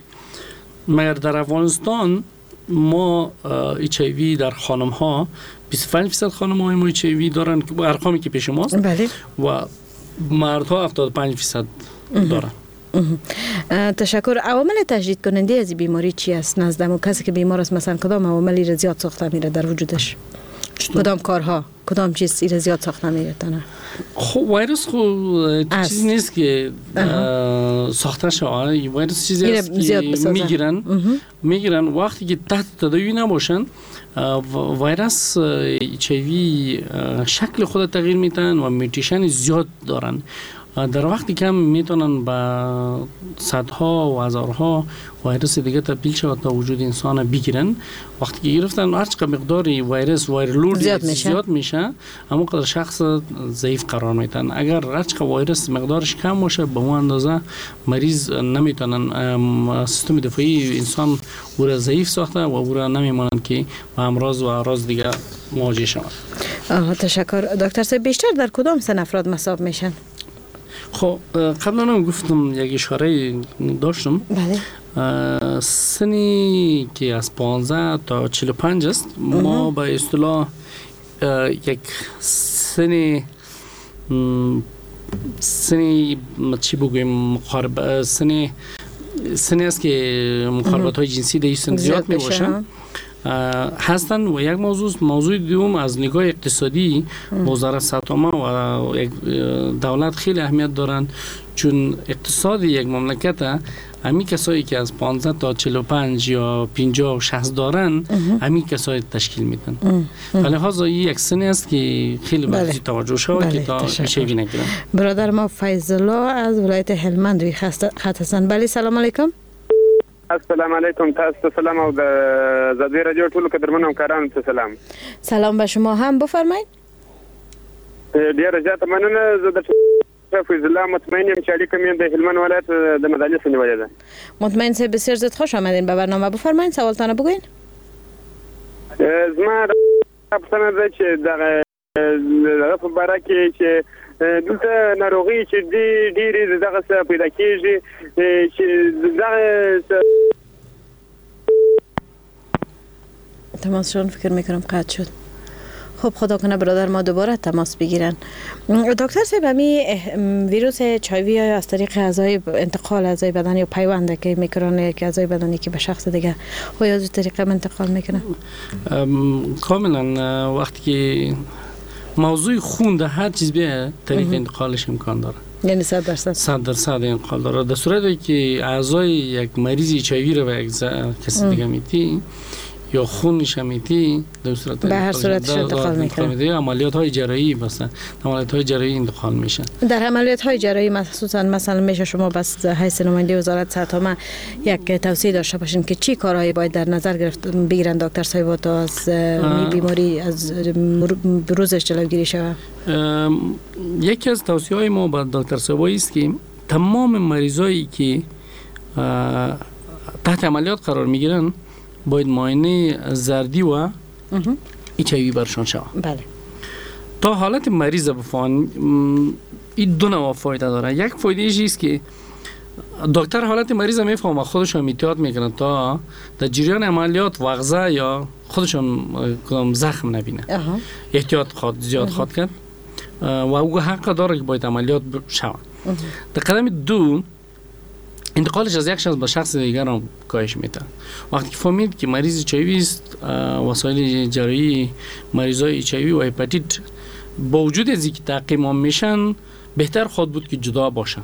مگر در افغانستان ما اچ آی وی در خانم ها بیست و پنج درصد خانم های ما اچ آی وی دارن که ارقامی که پیش ماست، بله، و مردها هفتاد و پنج درصد دارن. تشکر. عوامل تشدید کننده از بیماری چی است نزد و کسی که بیمار است؟ مثلا کدام عواملی را زیاد ساخته میره در وجودش؟ کدام کارها، کدام چیز ایره زیاد ساخته میره؟ خب ویروس خو چیزی نیست که ساخته شود. ویروس چیزی است که میگیرن میگیرن وقتی که تحت تداوی نباشن، ویروس اچ آی وی شکل خود تغییر میدن و mutation زیاد دارن. در وقتی کم میتونن به صدها و هزارها ویروس دیگه تبدیل شود تا وجود انسان بگیرن. وقتی که گرفتن هر چقدر مقدار ویروس viral load زیاد میشه, زیاد میشه همون قدر شخص ضعیف قرار میتن. اگر هر چقدر ویروس مقدارش کم باشه به اون اندازه مریض نمیتونن، سیستم دفاعی انسان او را ضعیف ساخته و او را نمیمانند که با امراض و اعراض دیگه مواجه شود. آها تشکر. دکتر صاحب بیشتر در کدام سن افراد مصاب میشن؟ خب قبلا هم گفتم، یک اشاره داشتم. بله. سنی که از پانزده تا چهل و پنج است، ما به اصطلاح یک سن سنی چی بگویم مقارب سن سنی است که مقاربت های جنسی در این سن زیاد می باشند هستند. و یک موضوع موضوع دوم از نگاه اقتصادی وزارت صحت عامه و یک دولت خیلی اهمیت دارند، چون اقتصاد یک مملکت همین کسایی که از پانزده تا چهل و پنج یا پنجاه و شصت دارن همین کسایی تشکیل میدن. فلهذا این یک سنی است که خیلی باید بله. توجه شود که تا شیوی نگیرن. برادر ما فیض الله از ولایت هلمند روی خط هستند. بله سلام علیکم. السلام علیکم، تاسو ته سلام او د ازادي رادیو ټولو قدرمنو همکارانو ته سلام. سلام به شما هم، بفرمایید. ډیره زیاته مننه. زه د فیض الله مطمئن یم چې اړیکه مې د هلمند ولایت د مدالي څخه نیولې ده. مطمئن صاحب بسیار زیاد خوش آمدین به برنامه. بفرمایید سوالتان بگوین. زما پوښتنه ده چې دغه دغه په باره کې چې دلته ناروغۍ چې ډېرې دغه څه پیدا کېږي چې دغه تماسشون فکر میکنم قطع شد. خب خدا کنه برادر ما دوباره تماس بگیرن. دکتر صاحب، همی ویروس اچ آی وی از طریق اعضای انتقال اعضای بدن یا پیوند که میکنن که اعضای بدنی که به شخص دیگه و یا از طریق انتقال میکنه؟ کاملا. وقتی که موضوع خون در هر چیز بیه طریق انتقالش امکان داره، یعنی صد درصد صد درصد انتقال داره. در صورتی که اعضای یک مریض اچ آی وی رو به یک کسی دیگه میتی یا خونش میتی، در صورت به هر صورت انتقال میکنه. عملیات های جراحی مثلا عملیات های جراحی انتقال میشه. در عملیات های جراحی مخصوصا مثلا میشه شما بس حیث نماینده وزارت صحت عامه یک توصیه داشته باشین که چی کارهایی باید در نظر گرفت بگیرن دکتر صاحب تا از بیماری از بروزش جلوگیری شود؟ یکی از توصیه های ما به دکتر صاحب است که تمام مریضایی که تحت عملیات قرار میگیرن باید معاینه زردی و اچ آی وی برشان شود. بله. تا حالت مریض بفهمن. این دو نوع فایده داره. یک فایده ایش است که دکتر حالت مریض میفهمه، خودش هم احتیاط میکنه تا در جریان عملیات وغزه یا خودش هم کدام زخم نبینه. احتیاط خود زیاد خواهد کرد و او حق داره که باید عملیات شود. در قدم دو انتقالش از یک شخص به شخص دیگر هم کاهش میده. وقتی که فهمید که مریض اچ آی وی است، وسایل جراحی مریضای اچ آی وی و هپاتیت با وجود از اینکه تعقیم هم میشن، بهتر خود بود که جدا باشن.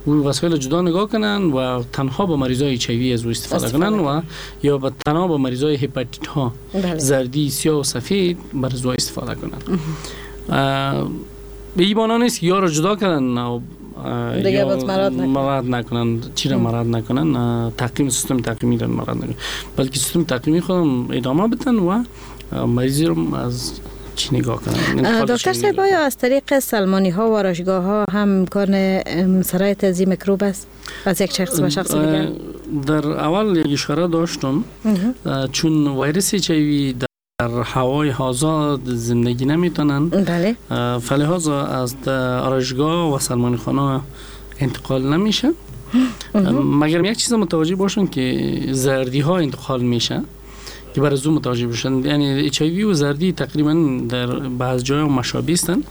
و وسایل جدا نگاه کنن و تنها با مریضای اچ آی وی از او استفاده کنن و یا با تنها با مریضای هپاتیت ها زردی، سیاه و سفید بر از او استفاده کنن. به این معنا نیست یا را جدا کنن دیگه باز مراد نکنن، مراد نکنن، چی را مراد نکنن، تعقیم سیستم تعقیمی را مراد نکنن، بلکه سیستم تعقیمی خودم ادامه بدن و مریضی رو از چی نگاه کنن. دکتر صاحب، آیا از طریق سلمانی ها و آرایشگاه ها هم امکان سرایت از این میکروب است از یک شخص به شخص دیگر؟ در اول یک اشاره داشتم، چون ویروس اچ آی وی در هوای آزاد زندگی نمیتونن، بله، فلهذا از آرایشگاه و سلمان خانه انتقال نمیشه. مگر یک چیز متوجه باشن که زردی ها انتقال میشه که برای زو متوجه باشن، یعنی اچ آی وی و زردی تقریبا در بعض جای مشابه هستند.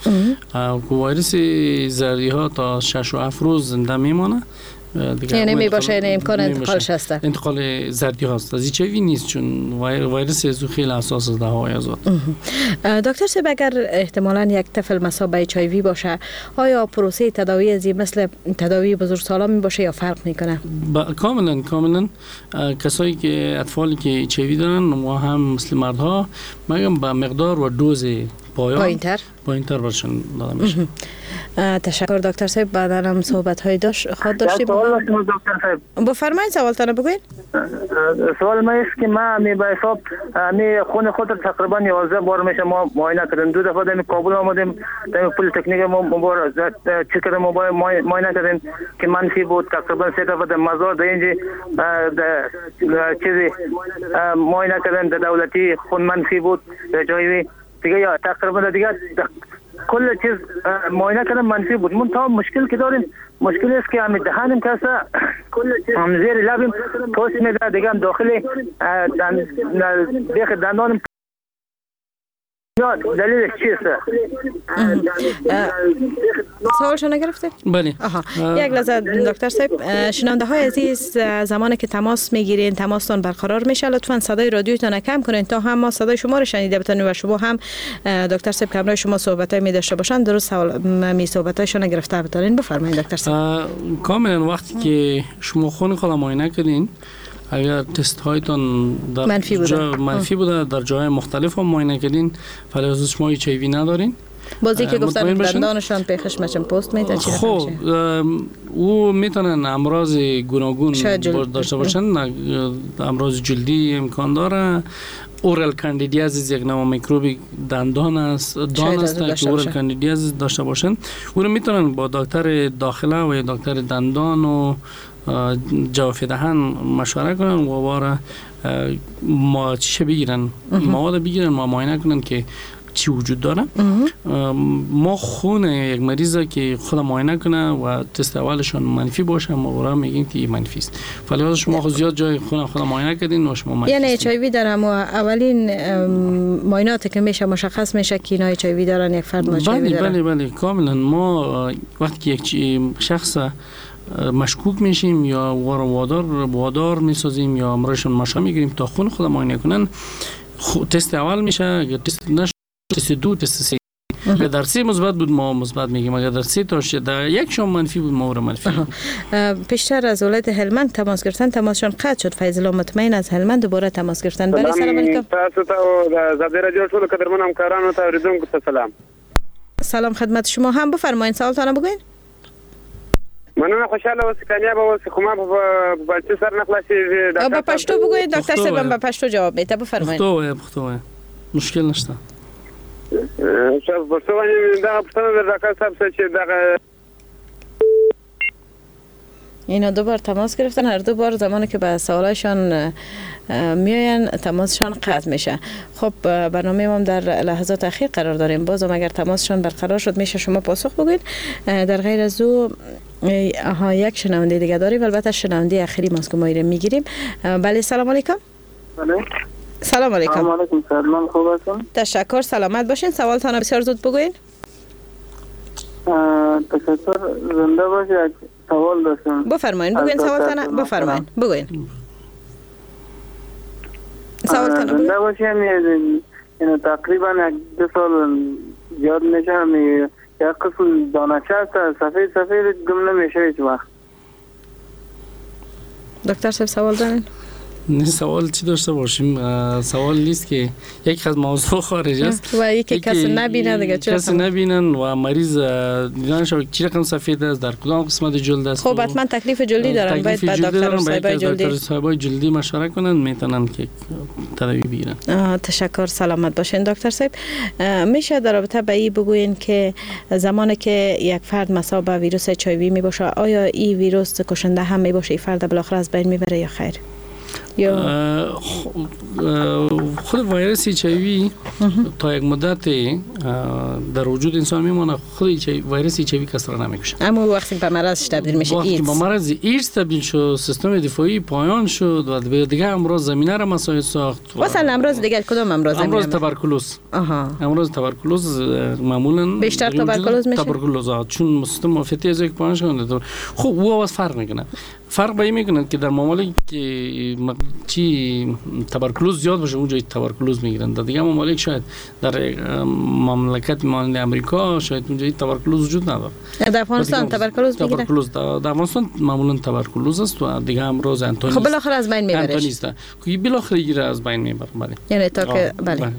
ویروس زردی ها تا شش و هفت روز زنده میمانه، یعنی می باشه، یعنی امکان انتقالش هست. انتقال زردی هست، از اچ آی وی نیست، چون ویروس از خیلی حساس است در هوای آزاد. دکتر صاحب، اگر احتمالاً یک طفل مصاب به اچ آی وی باشه، آیا پروسه تداوی از مثل تداوی بزرگسالان می باشه یا فرق میکنه؟ با... کاملا کاملا. کسایی که اطفالی که اچ آی وی دارن و هم مثل مردها، مگم با مقدار و دوز پایین‌تر پایین‌تر برشون داده میشه. تشکر دکتر صاحب. بعدا هم صحبت های داشت خود داشتیم. سوال دکتر صاحب بفرمایید، سوالتان بگوین. سوال من است که ما می به حساب می خون خود تقریبا یازده بار میشه ما معاینه کردیم. دو دفعه در کابل آمدیم، در پلی تکنیک ما مبار چک کردیم، معاینه کردیم که منفی بود. تقریبا سه دفعه در مزار در اینجا در چیزی معاینه کردیم، در دولتی خون منفی بود، در جایی دیگه یا تقریبا دیگه کل چیز معاینه کردم منفی بود. من تا مشکل که داریم، مشکل است که هم دهانم کسا هم زیر لبم پوست میده، دیگه هم داخل بیخ دندانم. دلیلش چیست؟ سوالشو نگرفته؟ بله. آها. یک لحظه دکتر صاحب، شنونده های عزیز، زمانی که تماس میگیرین تماستان برقرار میشه، لطفاً صدای رادیوتان کم کنین تا هم ما صدای شما رو شنیده بتونیم و شما هم دکتر صاحب که همراه شما صحبت های می داشته باشن درست سوال می صحبت هایشون گرفته بتونین. بفرمایید دکتر صاحب. کاملا. وقتی که شما خون خود معاینه کردین، اگر تست هایتان در منفی بوده، منفی بوده در جای مختلف هم معاینه کردین، فلهذا شما اچ آی وی ندارین. بازی که گفتن دندانشان پیخش مچم پوست میده چی؟ خب او میتونن امراض گوناگون داشته باشن، امراض جلدی امکان داره. oral candidiasis یک نوع میکروب دندان است، دان است که oral candidiasis داشته باشن. او رو میتونن با دکتر داخله و دکتر دندان و جوف دهن مشوره کنن و واره ما چه بگیرن، مواد بگیرن، ما معاینه کنن که چی وجود داره. ما خون یک مریض که خود معاینه کنه و تست اولشون منفی باشه، ما برای میگیم که منفی است. ولی شما خود زیاد جای خون خود معاینه کردین و شما منفی. یعنی اچ آی وی در هم اولین معاینات که میشه مشخص میشه که اینا اچ آی وی دارن، یک فرد اچ آی وی داره. بله بله کاملا. ما وقتی که یک شخص مشکوک میشیم یا وادار وادار میسازیم یا امرشون مشا میگیریم تا خون خود معاینه کنن، تست اول میشه، اگر تست نشد تست دو، تست سه. اگر در سه مثبت بود ما مثبت میگیم، اگر در سه تا در یک شام منفی بود ما رو منفی. پیشتر از ولایت هلمند تماس گرفتن، تماسشان قطع شد. فیض الله مطمئن از هلمند دوباره تماس گرفتن. بله سلام علیکم. تاسو ته د ازادي رادیو ټولو قدرمنو همکارانو ته اوریدونکو ته سلام. سلام خدمت شما هم. بفرمایید سوالتان بگوین. مننه، خوشحاله اوسئ، کامیاب اوسئ. خو ما په پښتو سر نه خلاصېږي. به پښتو بگوین دکتر صاحب، به پښتو جواب میده. بفرمایید. پښتو وایه، پښتو وایه، مشکل نشته. پښتو باندې دغه پوښتنه د ډاکټر صاحب څخه چې دغه اینا دو بار تماس گرفتن، هر دو بار زمانی که به سوالایشان میاین تماسشان قطع میشه. خب برنامه ما در لحظات اخیر قرار داریم، بازم اگر تماسشان برقرار شد میشه شما پاسخ بگوید. در غیر از او آها یک شنونده دیگه داریم، البته شنونده اخیری ماست که ما ایره میگیریم. بله سلام علیکم. بله سلام علیکم. سلام علیکم، سلام، خوب هستم؟ تشکر، سلامت باشین. سوالتان بسیار زود بگوین. تشکر، زنده باشید. سوال داشتم. بفرمایین، بگوین سوالتان. بفرمایین، بگوین سوالتان. زنده باشین. یعنی تقریبا یک دو سال زیاد میشه، یک قسم دانه‌چه است، سفید سفید گم نمیشه هیچ وقت. دکتر صاحب سوال دارین؟ نه سوال چی داشته باشیم؟ سوال نیست که یک از موضوع خارج است و یکی کسی نبینه دیگه، چرا کسی نبینن و مریض دیدن شو چی رقم سفید است، در کدام قسمت جلد است. خب حتما تکلیف جلدی دارن، باید با دکتر صاحب جلدی دکتر صاحب جلدی مشوره کنن، میتونن که تداوی بگیرن. تشکر، سلامت باشین دکتر صاحب. میشه در رابطه به این بگوین که زمانی که یک فرد مصاب به ویروس اچ آی وی میباشه، آیا این ویروس کشنده هم میباشه، این فرد بالاخره از بین میبره یا خیر؟ یا خود ویروس اچ آی وی تا یک مدت در وجود انسان میمونه. خود ویروس اچ آی وی کس را نمیکشه، اما وقتی به مرض تبدیل میشه، وقتی به مرض ایدز تبدیل شد، سیستم دفاعی پایان شد و دیگه امراض زمینه را مساعد ساخت. مثلا امراض دیگه کدام امراض؟ امراض تبرکلوز. آها، امراض تبرکلوز معمولا بیشتر تبرکلوز میشه. تبرکلوز چون سیستم معافیتی از یک پایان شد. خب او آواز فرق میکنه، فرق به این میکنه که در ممالک که چی تبرکلوز زیاد باشه اونجا تبرکلوز میگیرن، در دیگه ممالک شاید در مملکت مانند امریکا شاید اونجا تبرکلوز وجود نداره. در افغانستان تبرکلوز میگیرن؟ تبرکلوز در افغانستان معمولا تبرکلوز است و دیگه امراض انتونی. خب بالاخره از بین میبره. انتونیست که بالاخره گیره از بین میبره. بله، یعنی تا که بله.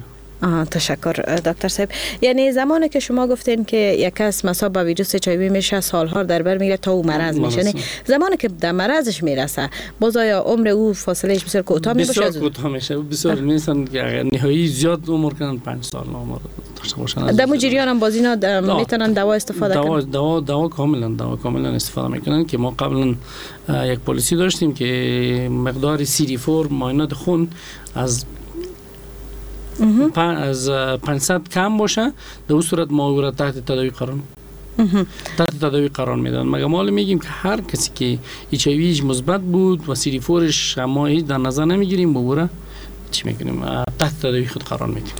آها، تشکر دکتر صاحب. یعنی زمانی که شما گفتین که یک کس مصاب به ویروس اچ آی وی میشه، سالها در بر میگیره تا او مرض میشه، یعنی زمانی که در مرضش میرسه باز آیا عمر او فاصلهش بسیار کوتاه میشه؟ بسیار کوتاه میشه، بسیار میسن که نهایی زیاد عمر کنن، پنج سال عمر داشته باشن. در جریان هم باز اینا میتونن دوا استفاده دوا کنن؟ دوا دوا کاملا دوا کاملا استفاده میکنن که ما قبلا یک پالیسی داشتیم که مقدار سی دی چهار معاینات خون از از پانصد کم باشه، در اون صورت ما او را تحت تداوی قرار تحت تداوی قرار میدن. مگه ما میگیم که هر کسی که اچ آی وی مثبت بود و سی دی چهارش ما هیچ در نظر نمیگیریم، او را چی میکنیم؟ تحت تداوی خود قرار میدیم.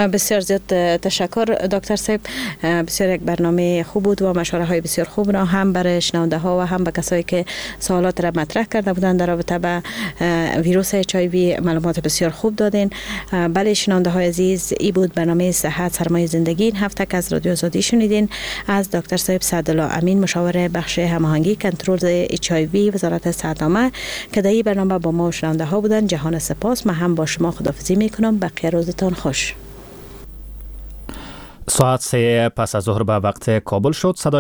بسیار زیاد تشکر دکتر صاحب، بسیار یک برنامه خوب بود و مشوره های بسیار خوب را هم برای شنونده ها و هم به کسایی که سوالات را مطرح کرده بودند در رابطه به ویروس اچ آی وی معلومات بسیار خوب دادین. بله شنونده های عزیز، ای بود برنامه صحت سرمایه زندگی این هفته که از رادیو آزادی شنیدین. از دکتر صاحب سعدالله امین، مشاور بخش هماهنگی کنترل اچ آی وی وزارت صحت عامه که در این برنامه با ما شنونده ها بودند، جهان سپاس. ما هم با شما خداحافظی میکنم. بقیه روزتان خوش. ساعت سه پس از ظهر به وقت کابل شد. صدای